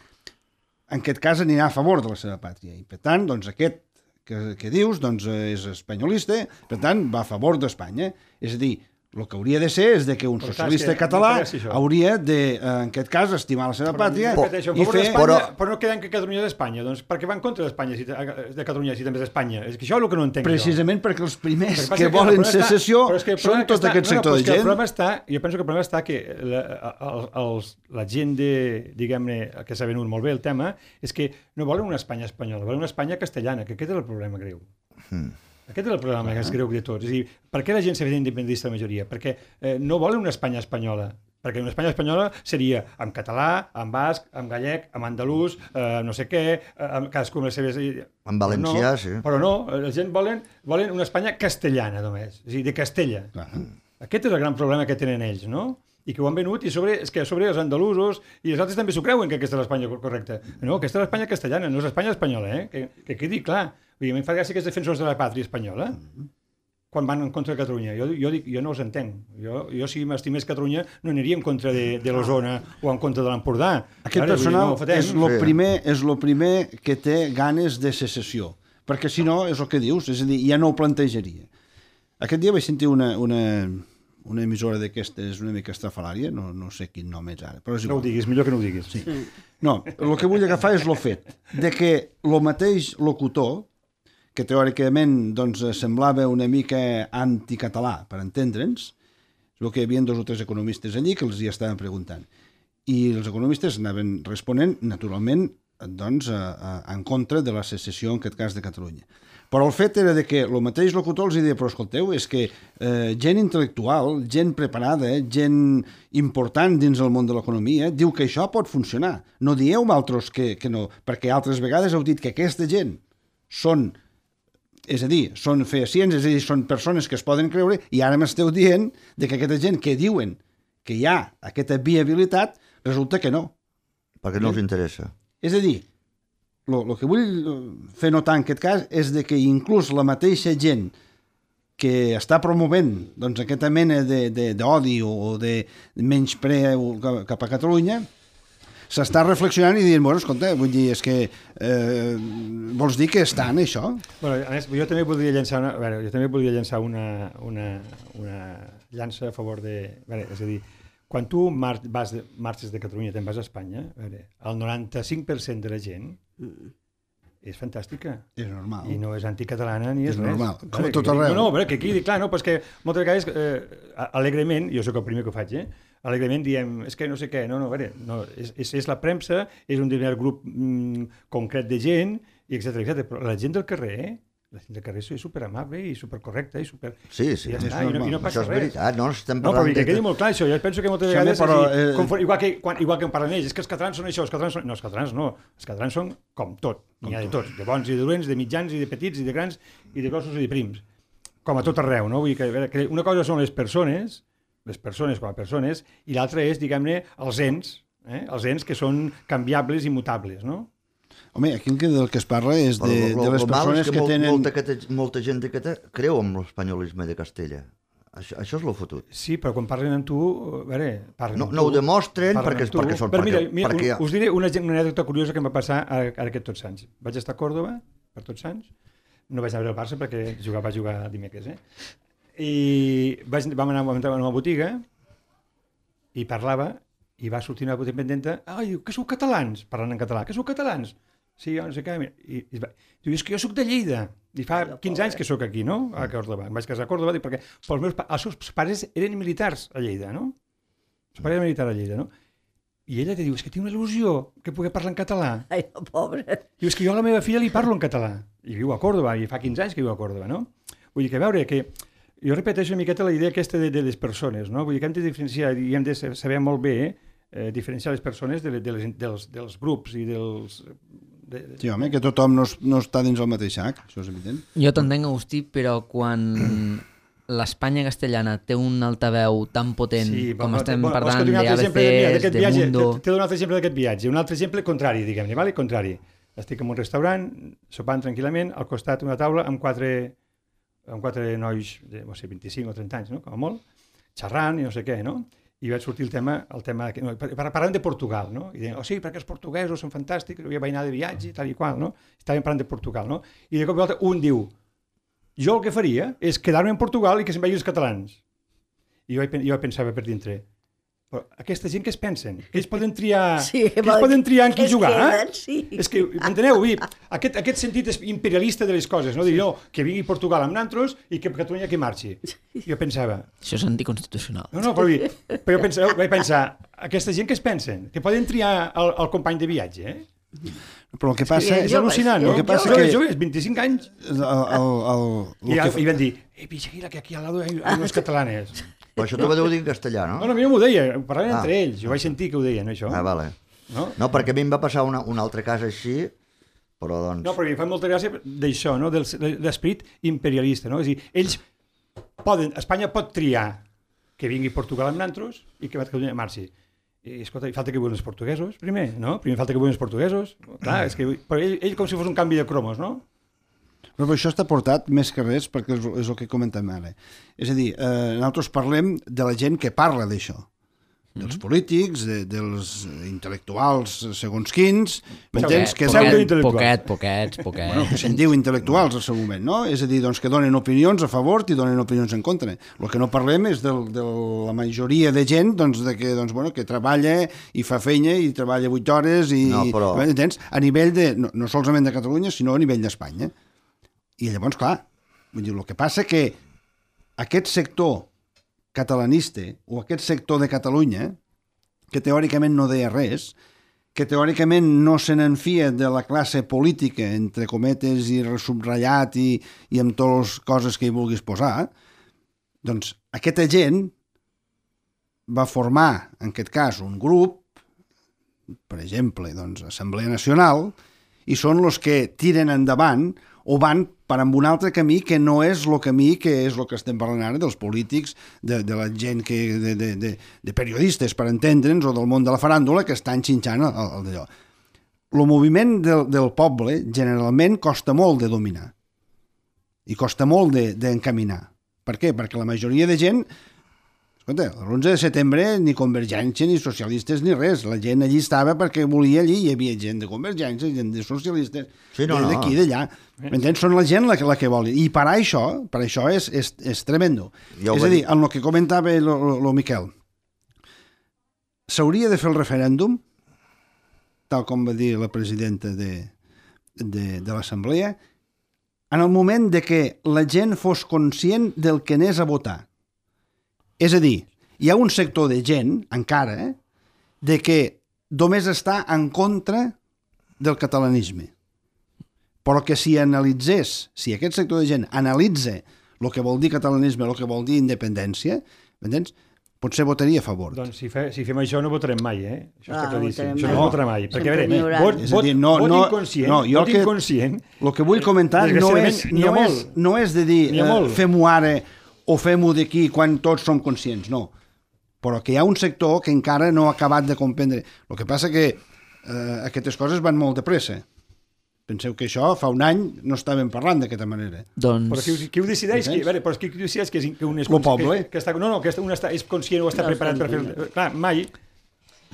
en aquest cas anirà a favor de la seva pàtria. I per tant, doncs aquest que, que dius doncs, eh, és espanyolista, per tant, va a favor d'Espanya. És a dir, el que hauria de ser és de que un Però, clar, socialista és que català m'interessa això. hauria de, eh, en aquest cas, estimar la seva pàtria Repeteixo, en i favor fer... d'Espanya, Però- però no queden que Catalunya és d'Espanya. Doncs per què va en contra d'Espanya, si, de Catalunya, si també és d'Espanya? És que això és el que no entenc Precisament perquè els jo. primers El passa que és el volen problema està- secessió però és que el són problema tot està- aquest no, no, sector però de és que el gent. problema està, jo penso que el problema està que la, el, els, la gent de, diguem-ne, que s'ha venut molt bé el tema, és que no volen una Espanya espanyola, volen una Espanya castellana, que aquest és el problema greu. Hmm. Aquest és el problema més greu de tots. És a dir, per què la gent s'ha fet independentista la majoria? Perquè eh, no volen una Espanya espanyola. Perquè una Espanya espanyola seria en català, en basc, en gallec, en andalús, eh, no sé què, eh, amb cadascú amb les seves... En valencià, però no, sí. Però no, la gent volen, volen una Espanya castellana només, és a dir, de Castella. Clar. Aquest és el gran problema que tenen ells, no? I que ho han venut, i sobre, és que a sobre els andalusos i els altres també s'ho creuen que aquesta és l'Espanya correcta. No, aquesta és l'Espanya castellana, no és l'Espanya espanyola, eh? Que, que quedi clar. Vull dir, a mi em fa gràcia que els defensors de la pàtria espanyola. quan van en contra de Catalunya. Jo, jo, dic, jo no els entenc. Jo, jo si m'estimés Catalunya, no aniria en contra de, de l'Osona o en contra de l'Empordà. Aquest Ara, personal dir, no, és el Sí. primer, és lo primer que té ganes de secessió, perquè si no, és el que dius, és a dir, ja no ho plantejaria. Aquest dia vaig sentir una, una, una emissora d'aquestes una mica estrafalària, no, no sé quin nom és ara, però és no ho igual. diguis, millor que no ho diguis. Sí. No, el que vull agafar és el fet de que el mateix locutor, que teòricament doncs, semblava una mica anticatalà, per entendre'ns, és el que hi havia dos o tres economistes allí que els hi estaven preguntant. I els economistes anaven responent, naturalment, doncs, a, a, en contra de la secessió, en aquest cas, de Catalunya. Però el fet era de que el mateix locutor els deia, però escolteu, és que eh, gent intel·lectual, gent preparada, gent important dins el món de l'economia, diu que això pot funcionar. No dieu altres que, que no, perquè altres vegades heu dit que aquesta gent són, és a dir, són fehacients, és a dir, són persones que es poden creure, i ara m'esteu dient de que aquesta gent que diuen que hi ha aquesta viabilitat, resulta que no. Perquè no els interessa. És a dir, el que vull fer notar en aquest cas és de que inclús la mateixa gent que està promovent doncs, aquesta mena d'odi o de menyspreu cap a Catalunya s'està reflexionant i dient, bueno, escolta, vull dir, és que eh, vols dir que està en això? Bueno, a més, jo també voldria llançar una, a veure, jo també voldria llançar una, una, una llança a favor de... A veure, és a dir, quan tu mar vas de, marxes de Catalunya i te'n vas a Espanya, a veure, el noranta-cinc per cent de la gent és fantàstica. És normal. I no és anticatalana ni és, És res. normal, Veure, com a que- tot arreu. No, no, a veure, que quedi clar, no? Però és que moltes vegades, eh, alegrement, jo sóc el primer que ho faig, eh? Alegrement diem, és que no sé què, no, no, a veure, no, és, és, és la premsa, és un determinat grup mm, concret de gent, i etcètera, etcètera. Però la gent del carrer, eh? La gent del carrer és superamable i supercorrecta i super... Sí, sí, I ja és està, i no, i no Això passa és res. veritat, no? Estem No, però parlant que de... quedi molt clar això, jo penso que moltes Sí, vegades, home, però, és dir, eh, confon- igual, que, quan, igual que en parlen ells, és que els catalans són això, els catalans són... No, els catalans no, els catalans són com tot, n'hi ha de tots, de bons i de dolents, de mitjans i de petits i de grans i de grossos i de prims, com a tot arreu, no? Vull dir que, a veure, que una cosa són les persones, les persones com a persones, i l'altra és, diguem-ne, els ens, eh? els ens que són canviables i mutables, no? Home, aquí del que es parla és de, Però lo- de les lo mal persones és que, molt, tenen... Molta, cate- molta gent que te, creu en l'espanyolisme de Castella. Això, això és lo fotut. Sí, però quan parlen amb tu, a veure, parlen No, amb no tu, ho demostren parlen perquè, amb tu. perquè són... Però mira, perquè, mira perquè, us diré una, una anècdota curiosa que em va passar ara, ara aquest Tots Sants. Vaig estar a Còrdova per Tots Sants, no vaig anar a veure el Barça perquè jugar, va jugar dimecres, eh? I vaig, vam anar vam entrar a una botiga i parlava i va sortir una independenta, ai, que sou catalans, parlant en català, que sou catalans? Sí, jo no sé què, i, i va, diu, és que jo sóc de Lleida, i fa quinze anys que sóc aquí, no? A Còrdova, em vaig casar a Còrdova, dic, perquè els meus, els seus pares eren militars a Lleida, no? Els seus pares eren militars a Lleida, no? I ella te diu, és que tinc una il·lusió que pugui parlar en català. Ai, no, pobre. Diu, és que jo a la meva filla li parlo en català. I viu a Còrdova, i fa quinze anys que viu a Còrdova, no? Vull dir que, a veure, que jo repeteixo una miqueta la idea aquesta de, de les persones, no? Vull dir que hem de diferenciar, i hem de saber molt bé eh, diferenciar les persones de, de les, dels, dels grups i dels... De, de... Sí, home, que tothom no, es- no està dins el mateix sac, això és evident. Jo t'entenc, Agustí, però quan l'Espanya castellana té un altaveu tan potent Sí, com però- estem bueno, vols que parlant et doni un altre exemple? Mira, d'A B Cs, d'aquest de viatge, Mundo... T'he de donar un altre exemple d'aquest viatge. Un altre exemple contrari, diguem-ne, vale? Contrari. Estic en un restaurant, sopant tranquil·lament, al costat una taula amb quatre, amb quatre nois de, no sé, vint-i-cinc o trenta anys, no? Com a molt, xerrant i no sé què, no? I vaig sortir el tema, el tema que, no, par- parlant de Portugal, no? I deien, oh sí, perquè els portuguesos són fantàstics, jo vaig anar de viatge, tal i qual, no? Estàvem parlant de Portugal, no? I de cop i volta un diu, jo el que faria és quedar-me en Portugal i que se'n vagin els catalans. I jo, jo pensava per dintre, però aquesta gent què es pensen? Que ells poden triar, Sí, que ells vol- poden triar en qui es jugar? queden, Eh? sí. És que, m'enteneu? Vull dir, aquest, aquest sentit és imperialista de les coses, no? Dir, no, que vingui Portugal amb nantros i que Catalunya que marxi. Jo pensava, Això és anticonstitucional. no, no, però, vull dir, però jo pensava, vaig pensar, aquesta gent què es pensen? Que poden triar el, el company de viatge, eh? Però el que passa... És al·lucinant, no? El que passa Joves, que... joves, vint-i-cinc anys. El, el, el, I, el que... i van dir, eh, vigila, que aquí al lado hay, hay unos catalanes. Però això t'ho va dir en castellà, no? No, no, a mi no m'ho deia, ho parlaven Ah. entre ells, jo vaig sentir que ho deien, això. Ah, vale. No? No, perquè a mi em va passar una, un altre cas així, però doncs... No, però em fa molta gràcia d'això, no? Del, de l'esperit imperialista, no? És a dir, ells poden, Espanya pot triar que vingui Portugal amb nantros i que Catalunya marxi. I, escolta, i falta que vuelvan els portuguesos, primer, no? Primer falta que vuelvan els portuguesos. Clar, és que... Però ell, ell com si fos un canvi de cromos, no? Però això està portat més que res perquè és, és el que comentem ara. És a dir, eh, nosaltres parlem de la gent que parla d'això, dels polítics, de, dels intel·lectuals segons quins, m'entens? Que Poquet, donen, poquet, poquets, poquets. bueno, que se'n diu intel·lectuals al seu moment, no? És a dir, doncs, que donen opinions a favor i donen opinions en contra. El que no parlem és del, de la majoria de gent doncs, de que, doncs, bueno, que treballa i fa feina i treballa vuit hores i, No, però- entens? A nivell de, no, no solament de Catalunya, sinó a nivell d'Espanya. I llavors, clar, vull dir, el que passa que aquest sector catalanista o aquest sector de Catalunya, que teòricament no deia res, que teòricament no se n'enfia de la classe política, entre cometes i resubratllat i, i amb totes les coses que hi vulguis posar, doncs aquesta gent va formar, en aquest cas, un grup, per exemple, doncs, Assemblea Nacional, i són els que tiren endavant o van per amb un altre camí que no és el camí que és el que estem parlant ara dels polítics, de, de la gent que, de, de, de, de periodistes, per entendre'ns, o del món de la faràndula, que estan xinxant el, el d'allò. El moviment del, del poble generalment costa molt de dominar i costa molt d'encaminar. De, per què? Perquè la majoria de gent, escolta, l'onze de setembre ni Convergència, ni socialistes, ni res. La gent allí estava perquè volia allí, hi havia gent de Convergència, gent de socialistes, Sí, no, no. d'aquí, d'allà. M'entens? Són la gent la que, la que vol. I per això, per això és, és, és tremendo. Ja ho és va a dir, dir. en el que comentava el Miquel, s'hauria de fer el referèndum, tal com va dir la presidenta de, de, de l'Assemblea, en el moment de que la gent fos conscient del que anés a votar. És a dir, hi ha un sector de gent, encara, eh, de que només està en contra del catalanisme. Però que si analitzés, si aquest sector de gent analitza el que vol dir catalanisme, el que vol dir independència, m'entens? Potser votaria a favor. Doncs si, fe, si fem això no votarem mai, eh? Això Ah, està claríssim. votarem Això mai. no es votarà mai. Perquè, a Sempre veure, n'hi haurà. vot, És a vot, dir, no- vot no- inconscient, no, jo vot que- inconscient... El que vull comentar no és, Desgraciadament, n'hi ha no, és, molt. no és de dir N'hi ha eh, molt. fem-ho ara o fem-ho d'aquí quan tots som conscients, no. Però que hi ha un sector que encara no ha acabat de comprendre. El que passa que eh, aquestes coses van molt de pressa. Penseu que això fa un any no estàvem parlant d'aquesta manera. Doncs... Però qui, ho- qui ho decideix? Qui, a veure, però qui, qui ho decideix que, és, que un és... Lo poble. Que, que està, no, no, que un està, és conscient o està No preparat per fer... estem Clar, mai...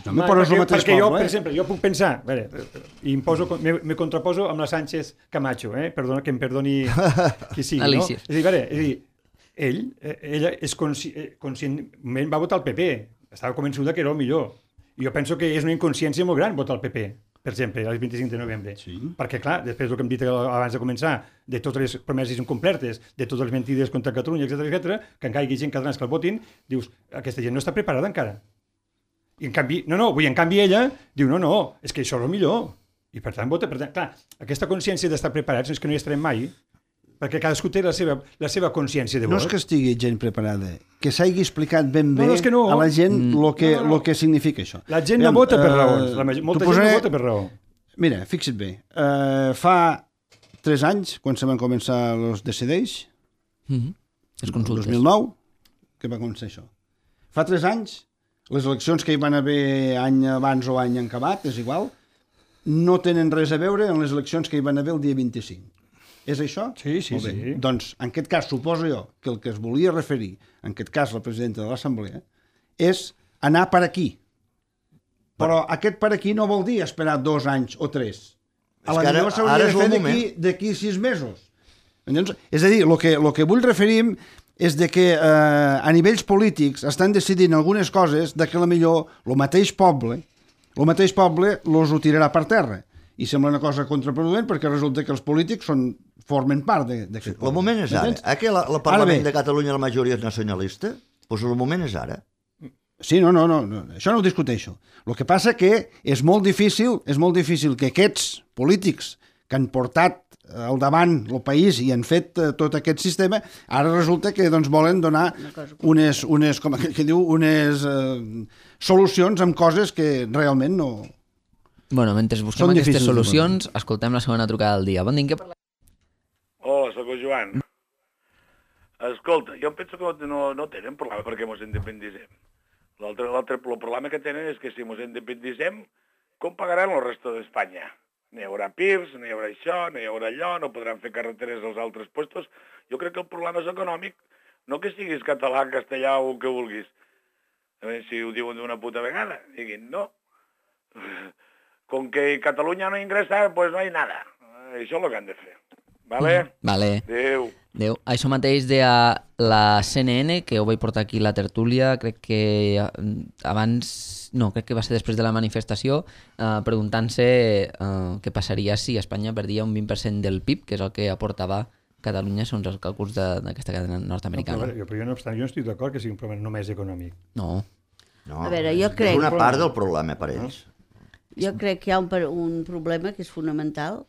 No, mai però és el perquè, mateix perquè jo, poble, per eh? exemple, jo puc pensar... A veure, i em poso, me, me contraposo amb la Sánchez Camacho, eh? Perdona, que em perdoni qui sigui, Alicia. no? És a dir, a veure, és a dir, ell, eh, ella és consci, eh, conscientment va votar el P P, estava convençuda que era el millor. I jo penso que és una inconsciència molt gran votar el P P, per exemple, el vint-i-cinc de novembre. Sí. Perquè, clar, després del que hem dit abans de començar, de totes les promeses incomplertes, de totes les mentides contra Catalunya, etcètera, etcètera, que encara hi hagi gent catalans que el votin, dius, aquesta gent no està preparada encara. I en canvi, no, no, vull, en canvi ella diu, no, no, és que això és el millor. I per tant vota, per tant, clar, aquesta consciència d'estar preparats és que no hi estarem mai, perquè cadascú té la seva, la seva consciència de No vot. és que estigui gent preparada, que s'hagi explicat ben bé No, no, és que no. a la gent el Mm. que, No, no, no. lo que significa això. La gent no Aviam, vota per eh, raons, la major, molta t'ho gent posaré- no vota per raó. Mira, fixa't bé, uh, fa tres anys, quan se van començar els Decideix, Mhm. Les el consultes. dos mil nou, que va començar això. Fa tres anys, les eleccions que hi van haver any abans o any acabat, és igual, no tenen res a veure amb les eleccions que hi van haver el dia vint-i-cinc. És això? Sí, sí, Molt bé. sí. Doncs, en aquest cas, suposo jo que el que es volia referir, en aquest cas la presidenta de l'Assemblea, és anar per aquí. Però aquest per aquí no vol dir esperar dos anys o tres. A És la que ara- millor s'hauria ara de és fer el d'aquí moment. d'aquí sis mesos. Entens? És a dir, el que, lo que vull referir és de que eh, a nivells polítics estan decidint algunes coses de que la millor el mateix poble el mateix poble los ho tirarà per terra. I sembla una cosa contraproduent perquè resulta que els polítics són, formen part d'aquest poble. El moment és ara. M'entens? Aquí la, la Ara Parlament bé. de Catalunya la majoria és nacionalista? Doncs el moment és ara. Sí, no, no, no, no, això no ho discuteixo. El que passa que és molt difícil, és molt difícil que aquests polítics que han portat al davant el país i han fet eh, tot aquest sistema, ara resulta que doncs, volen donar unes, unes, com aquell que diu, unes eh, solucions amb coses que realment no... Bueno, mentre busquem Són aquestes difícils de solucions, escoltem la segona trucada del dia. Bon dia, què parlem? Hola, sóc el Joan. Escolta, jo penso que no, no tenen problema perquè mos independicem. L'altre, l'altre, el problema que tenen és que si mos independicem, com pagaran el resto d'Espanya? No hi haurà pirs, no hi haurà això, no hi haurà allò, no podran fer carreteres als altres puestos. Jo crec que el problema és econòmic, no que siguis català, castellà o el que vulguis. A veure si ho diuen d'una puta vegada. Diguin, no. Com que Catalunya no ingressa, pues no hi nada. Això és el que han de fer. Vale? Vale. Adéu. Adéu. Això mateix de la C N N, que ho vaig portar aquí la tertúlia, crec que abans, no, crec que va ser després de la manifestació, eh, preguntant-se eh, què passaria si Espanya perdia un vint per cent del P I B, que és el que aportava Catalunya segons els càlculs d'aquesta cadena nord-americana. No, però, però jo no obstant, jo no estic d'acord que sigui un problema només econòmic. No. No, A veure, jo crec- és una part del problema per ells. Jo crec que hi ha un, per- un problema que és fonamental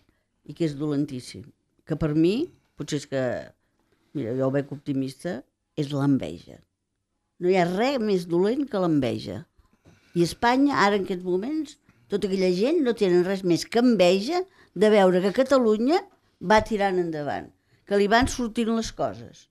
i que és dolentíssim. Que per mi, potser és que, mira, jo ho veig optimista, és l'enveja. No hi ha res més dolent que l'enveja. I Espanya, ara en aquests moments, tota aquella gent no tenen res més que enveja de veure que Catalunya va tirant endavant, que li van sortint les coses.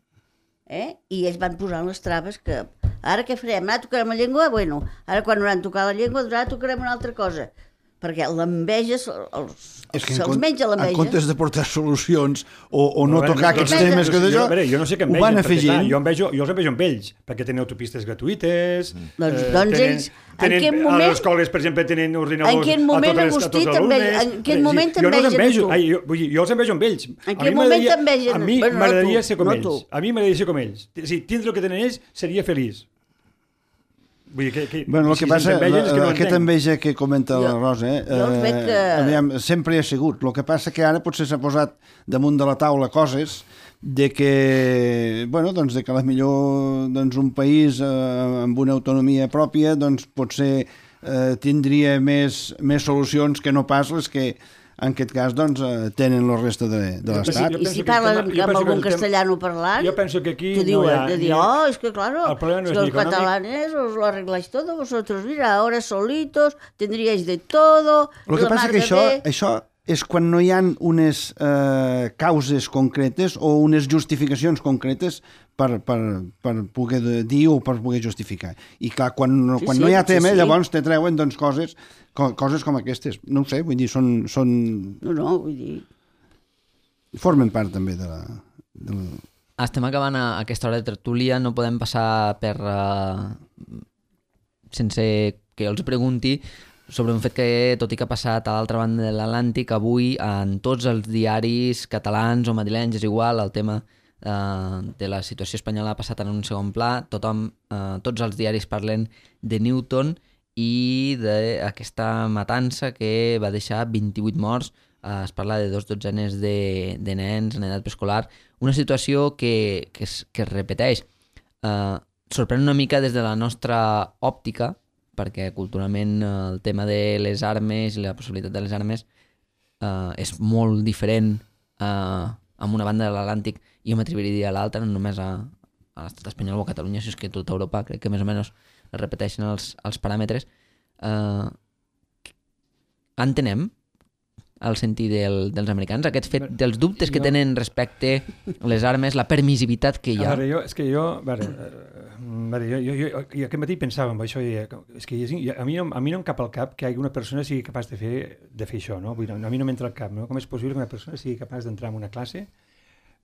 Eh? I ells van posant les traves que ara què farem? Ara tocarem la llengua? Bueno, ara quan hauran tocat la llengua, ara tocarem una altra cosa. Perquè l'enveja, els, els, És que en, se'ls com- menja en l'enveja. comptes de portar solucions o, o no A veure, tocar jo- aquests jo- temes que jo, d'això, a veure, jo no sé què ho envegen, van perquè, clar, afegint. jo, envejo, jo els envejo amb ells, perquè tenen autopistes gratuïtes... Doncs- doncs ells, en tenen, quin a moment- les escoles, per exemple, tenen ordinadors En quin moment, a totes, les- a Agustí, tots els t'enve- alumnes. en quin És a dir, moment jo no els t'envegen envejo, tu? ai, jo, vull dir, jo els envejo amb ells. En A mi quin moment m'agradaria- t'envegen? A mi Bueno, no m'agradaria tu, ser com no ells. tu. A mi m'agradaria ser com ells. O sigui, tindre el que tenen ells seria feliç. Vull dir, que, que, Bueno, el si que passa, se'ns envegen és que no la, aquesta entenc. enveja que comenta la Jo- Rosa, eh, jo els veig que- eh, aviam, sempre hi ha sigut. El que passa que ara potser s'ha posat damunt de la taula coses de que, bueno, doncs de que a la millor doncs, un país eh, amb una autonomia pròpia doncs, potser eh, tindria més, més solucions que no pas les que en aquest cas doncs, eh, tenen la resta de, de Jo penso- l'Estat. jo I penso si que parles el amb, tema- jo amb penso que algun el tema- castellano parlant, Jo penso que aquí te no diuen, hi ha... de dir, ni- oh, es que claro, El problema no es es que ni los econòmic. catalanes os lo arregláis todo vosotros, mira, ahora solitos, tendríais de todo, El que la passa mar que de això, bé. això és quan no hi ha unes eh, causes concretes o unes justificacions concretes per, per, per poder dir o per poder justificar. I clar, quan, Sí, quan sí, no hi ha potser tema, sí. llavors te treuen doncs, coses, co coses com aquestes. No ho sé, vull dir, són, són, No, no, vull dir... formen part també de la... De la... Estem acabant a aquesta hora de tertúlia, no podem passar per... Uh, sense que jo els pregunti sobre un fet que, tot i que ha passat a l'altra banda de l'Atlàntic, avui en tots els diaris catalans o madrilenys, és igual, el tema uh, de la situació espanyola ha passat en un segon pla, tothom, uh, tots els diaris parlen de Newton i d'aquesta matança que va deixar vint-i-vuit morts. Uh, es parla de dos dotzenes de, de nens en edat preescolar, una situació que, que, es, que es repeteix. Uh, sorprèn una mica des de la nostra òptica, perquè culturalment uh, el tema de les armes i la possibilitat de les armes uh, és molt diferent uh, amb una banda de l'Atlàntic i jo m'atreviria a dir a l'altra, no només a, a l'estat espanyol o a Catalunya, si és que tota Europa crec que més o menys es repeteixen els, els paràmetres. Uh, entenem el sentit del, dels americans, aquest fet dels dubtes que Jo- tenen respecte a les armes, la permissivitat que hi ha. A veure, jo, és que jo, a veure, eh, a veure, jo, jo, jo, jo aquest matí pensava en això, i, és que és, a, mi no, a mi no em cap al cap que una persona sigui capaç de fer, de fer això, no? Vull dir, a mi no m'entra al cap, no? Com és possible que una persona sigui capaç d'entrar en una classe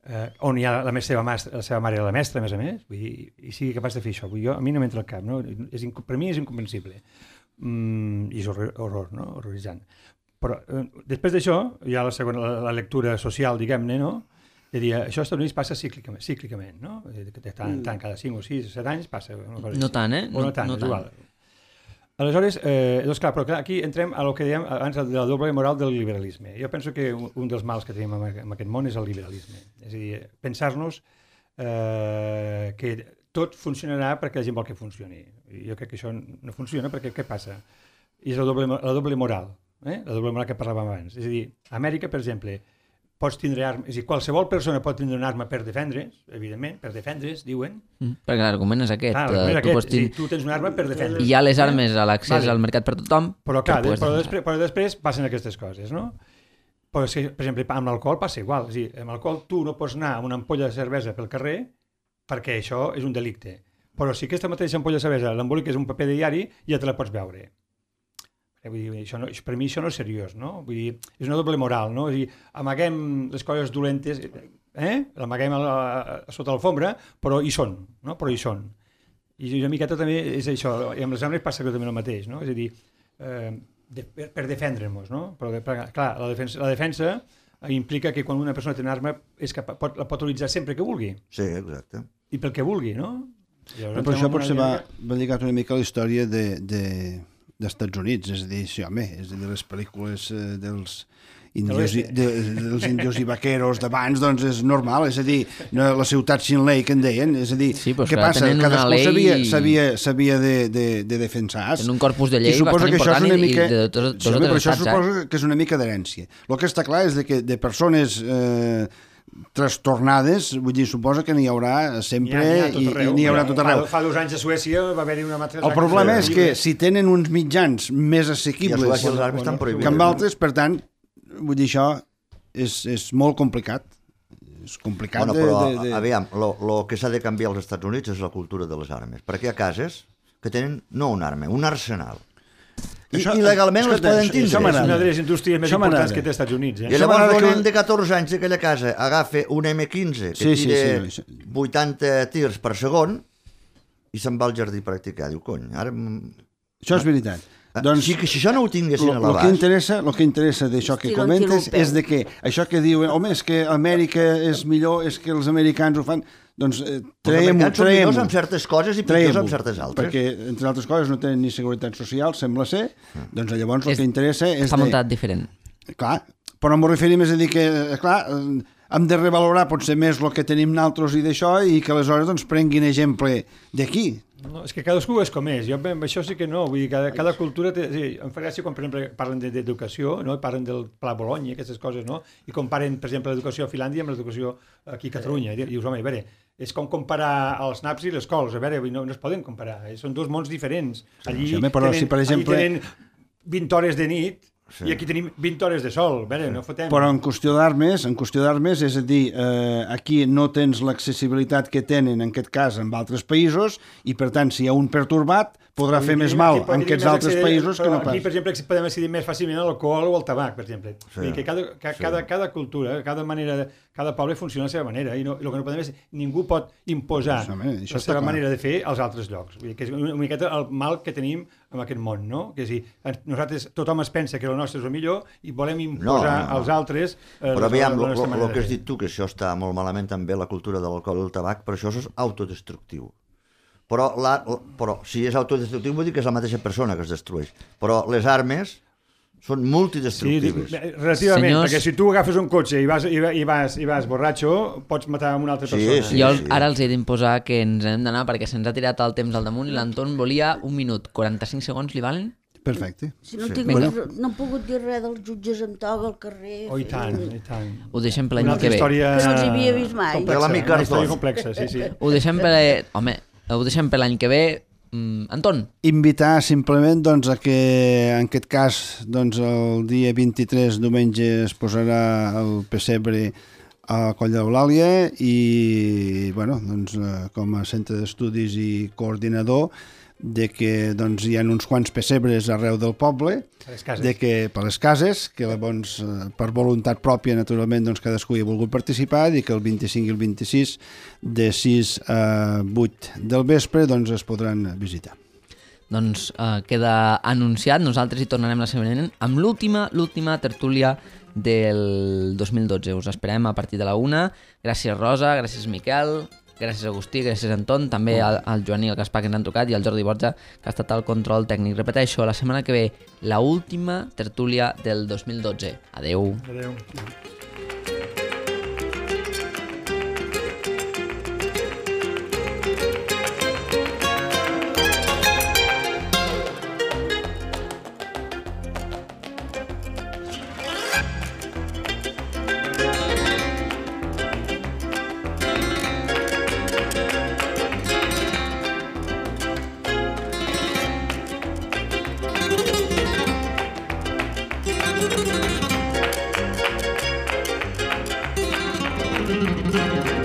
eh, on hi ha la, la, seva mas, la seva mare i la mestra, a més a més, vull dir, i sigui capaç de fer això. Vull dir, jo, a mi no m'entra al cap, no? És, per mi és incomprensible. Mm, I és horror, horror, no? Horroritzant. Però eh, després d'això, hi ha la segona, la, la lectura social, diguem-ne, no? De dir, això als Estats Units passa cíclicament, cíclicament, no? De tant en tant, cada cinc o sis o set anys passa una cosa No així. tant, eh? O no, No- tant, no és tant. igual. Aleshores, eh, doncs clar, però clar, aquí entrem a lo que dèiem abans de la doble moral del liberalisme. Jo penso que un, un dels mals que tenim en, en aquest món és el liberalisme. És a dir, pensar-nos eh, que tot funcionarà perquè la gent vol que funcioni. I jo crec que això no funciona perquè què passa? I és la doble, la doble moral, eh? La doble moral que parlàvem abans. És a dir, a Amèrica, per exemple, pots tindre armes, és a dir, qualsevol persona pot tindre una arma per defendre's, evidentment, per defendre's, diuen. Mm, perquè l'argument és aquest. Ah, eh, l'argument és tu, aquest, pots és a dir, tin- tu tens una arma per defendre's. Hi ha les armes a l'accés Vale. al mercat per tothom, Però clar, que puedes però, defensar. després, però després passen aquestes coses, no? Però és que, per exemple, amb l'alcohol passa igual. És a dir, amb l'alcohol tu no pots anar amb una ampolla de cervesa pel carrer perquè això és un delicte. Però si aquesta mateixa ampolla de cervesa l'emboliques un paper de diari, ja te la pots veure. Vull dir, això no, per mi això no és seriós, no? Vull dir, és una doble moral, no? És dir, amaguem les coses dolentes, eh? L'amaguem a la, a sota l'alfombra, però hi són, no? Però hi són. I una miqueta també és això, i amb les armes passa també el mateix, no? És a dir, eh, de, per, per defendre-nos, no? Però, per, clar, la defensa, la defensa implica que quan una persona té una arma és que pot, la pot utilitzar sempre que vulgui. Sí, exacte. I pel que vulgui, no? Però per això potser va, va lligat una mica a la història de, de, dels Estats Units, és a dir, sí, home, és a dir, les pel·lícules eh, dels indios, i, de, dels indios i vaqueros d'abans, doncs és normal, és a dir, no, la ciutat sin lei que en deien, és a dir, sí, què passa? Cadascú lei... sabia, sabia, sabia de, de, de defensar. En un corpus de llei bastant important i, mica... i de tots dos o tres estats. Això suposa que és una mica d'herència. El que està clar és de que de persones eh, trastornades, vull dir, suposa que n'hi haurà sempre i n'hi haurà tot arreu. Fa dos anys a Suècia va haver-hi una matança. El problema és que si tenen uns mitjans més assequibles que amb altres, per tant, vull dir, això és, és molt complicat. És complicat bueno, però, de... de... aviam, el que s'ha de canviar als Estats Units és la cultura de les armes, perquè hi ha cases que tenen no una arma, un arsenal. I, això, i legalment les poden tindre. És una de les indústries més importants que té als Estats Units. Eh? I llavors un nen de catorze anys d'aquella casa agafa un eme quinze que sí, tira sí, sí. vuitanta tirs per segon i se'n va al jardí a practicar. Diu, cony, ara... Això és veritat. Doncs, si, si això no ho tinguessin a l'abast... El que interessa, el que interessa d'això que comentes és de que això que diuen, home, és que Amèrica és millor, és que els americans ho fan... Doncs eh, traiem-ho, traiem-ho. Els americans són millors amb certes coses i pitjors amb certes altres. Perquè, entre altres coses, no tenen ni seguretat social, sembla ser, mm. doncs llavors el és, que interessa és... Està muntat de... diferent. Clar, però m'ho referim és a dir que, clar, hem de revalorar potser més el que tenim nosaltres i d'això i que aleshores doncs, prenguin exemple d'aquí. No, és que cadascú és com és. Jo amb això sí que no. Vull dir, cada, cada cultura té... Sí, em fa gràcia quan, per exemple, parlen d'educació, no? Parlen del Pla Bologna, aquestes coses, no? I comparen, per exemple, l'educació a Finlàndia amb l'educació aquí a Catalunya. I dius, home, a veure, és com comparar els naps i les cols. A veure, no, no es poden comparar. Són dos mons diferents. Allí, sí, però, tenen, si, per exemple... allí tenen vint hores de nit sí. I aquí tenim vint hores de sol. A veure, no fotem. Però en qüestió d'armes, en qüestió d'armes, és a dir, eh, aquí no tens l'accessibilitat que tenen, en aquest cas, en altres països, i per tant, si hi ha un pertorbat, podrà fer més mal en aquests altres països que no pas. Aquí, per exemple, podem accedir més fàcilment a l'alcohol o al tabac, per exemple. Sí. Que cada, cada, sí. cada, cada cultura, cada manera, de, cada poble funciona a la seva manera, i no, el que no podem és, ningú pot imposar això, la seva clar. manera de fer als altres llocs. Vull dir, que és una miqueta el mal que tenim en aquest món, no? Que és dir, nosaltres, tothom es pensa que el nostre és el millor i volem imposar no, no, no. als altres eh, però aviam, el que has dit tu, que això està molt malament també, la cultura de l'alcohol i el tabac, però això és autodestructiu. Però, la, però si és autodestructiu vull dir que és la mateixa persona que es destrueix. Però les armes són multidestructives. Sí, relativament, Senyors... perquè si tu agafes un cotxe i vas, i, i vas, i vas borratxo, pots matar una altra persona. Sí, sí, jo sí. ara els he d'imposar que ens hem d'anar perquè se'ns ha tirat el temps al damunt i l'Anton volia un minut, quaranta-cinc segons, li valen? Perfecte. Si no, sí. tinc, bueno. no he pogut dir res dels jutges amb toga al carrer. Oh, i tant, i tant. Ho deixem per l'any que ve. Història... Que no els havia vist mai. Complexa, una història complexa, sí, sí. Ho deixem per... Home, ho deixem per l'any que ve. Mm, Anton. Invitar simplement doncs, a que en aquest cas doncs, el dia vint-i-tres, diumenge, es posarà el pessebre a Coll d'Eulàlia i bueno, doncs, com a centre d'estudis i coordinador de que doncs, hi ha uns quants pessebres arreu del poble, de que, per les cases, que doncs, per voluntat pròpia, naturalment, doncs, cadascú hi ha volgut participar, i que el vint-i-cinc i el vint-i-sis, de sis a vuit del vespre, doncs, es podran visitar. Doncs eh, queda anunciat, nosaltres hi tornarem la setmana vinent amb l'última, l'última tertúlia del dos mil dotze. Us esperem a partir de la una. Gràcies, Rosa, gràcies, Miquel, gràcies, Agustí, gràcies, Anton, també al, al Joan i al Gaspar que ens han trucat i al Jordi Borja que ha estat al control tècnic. Repeteixo, la setmana que ve, la última tertúlia del dos mil dotze. Adeu. Adeu. Thank you.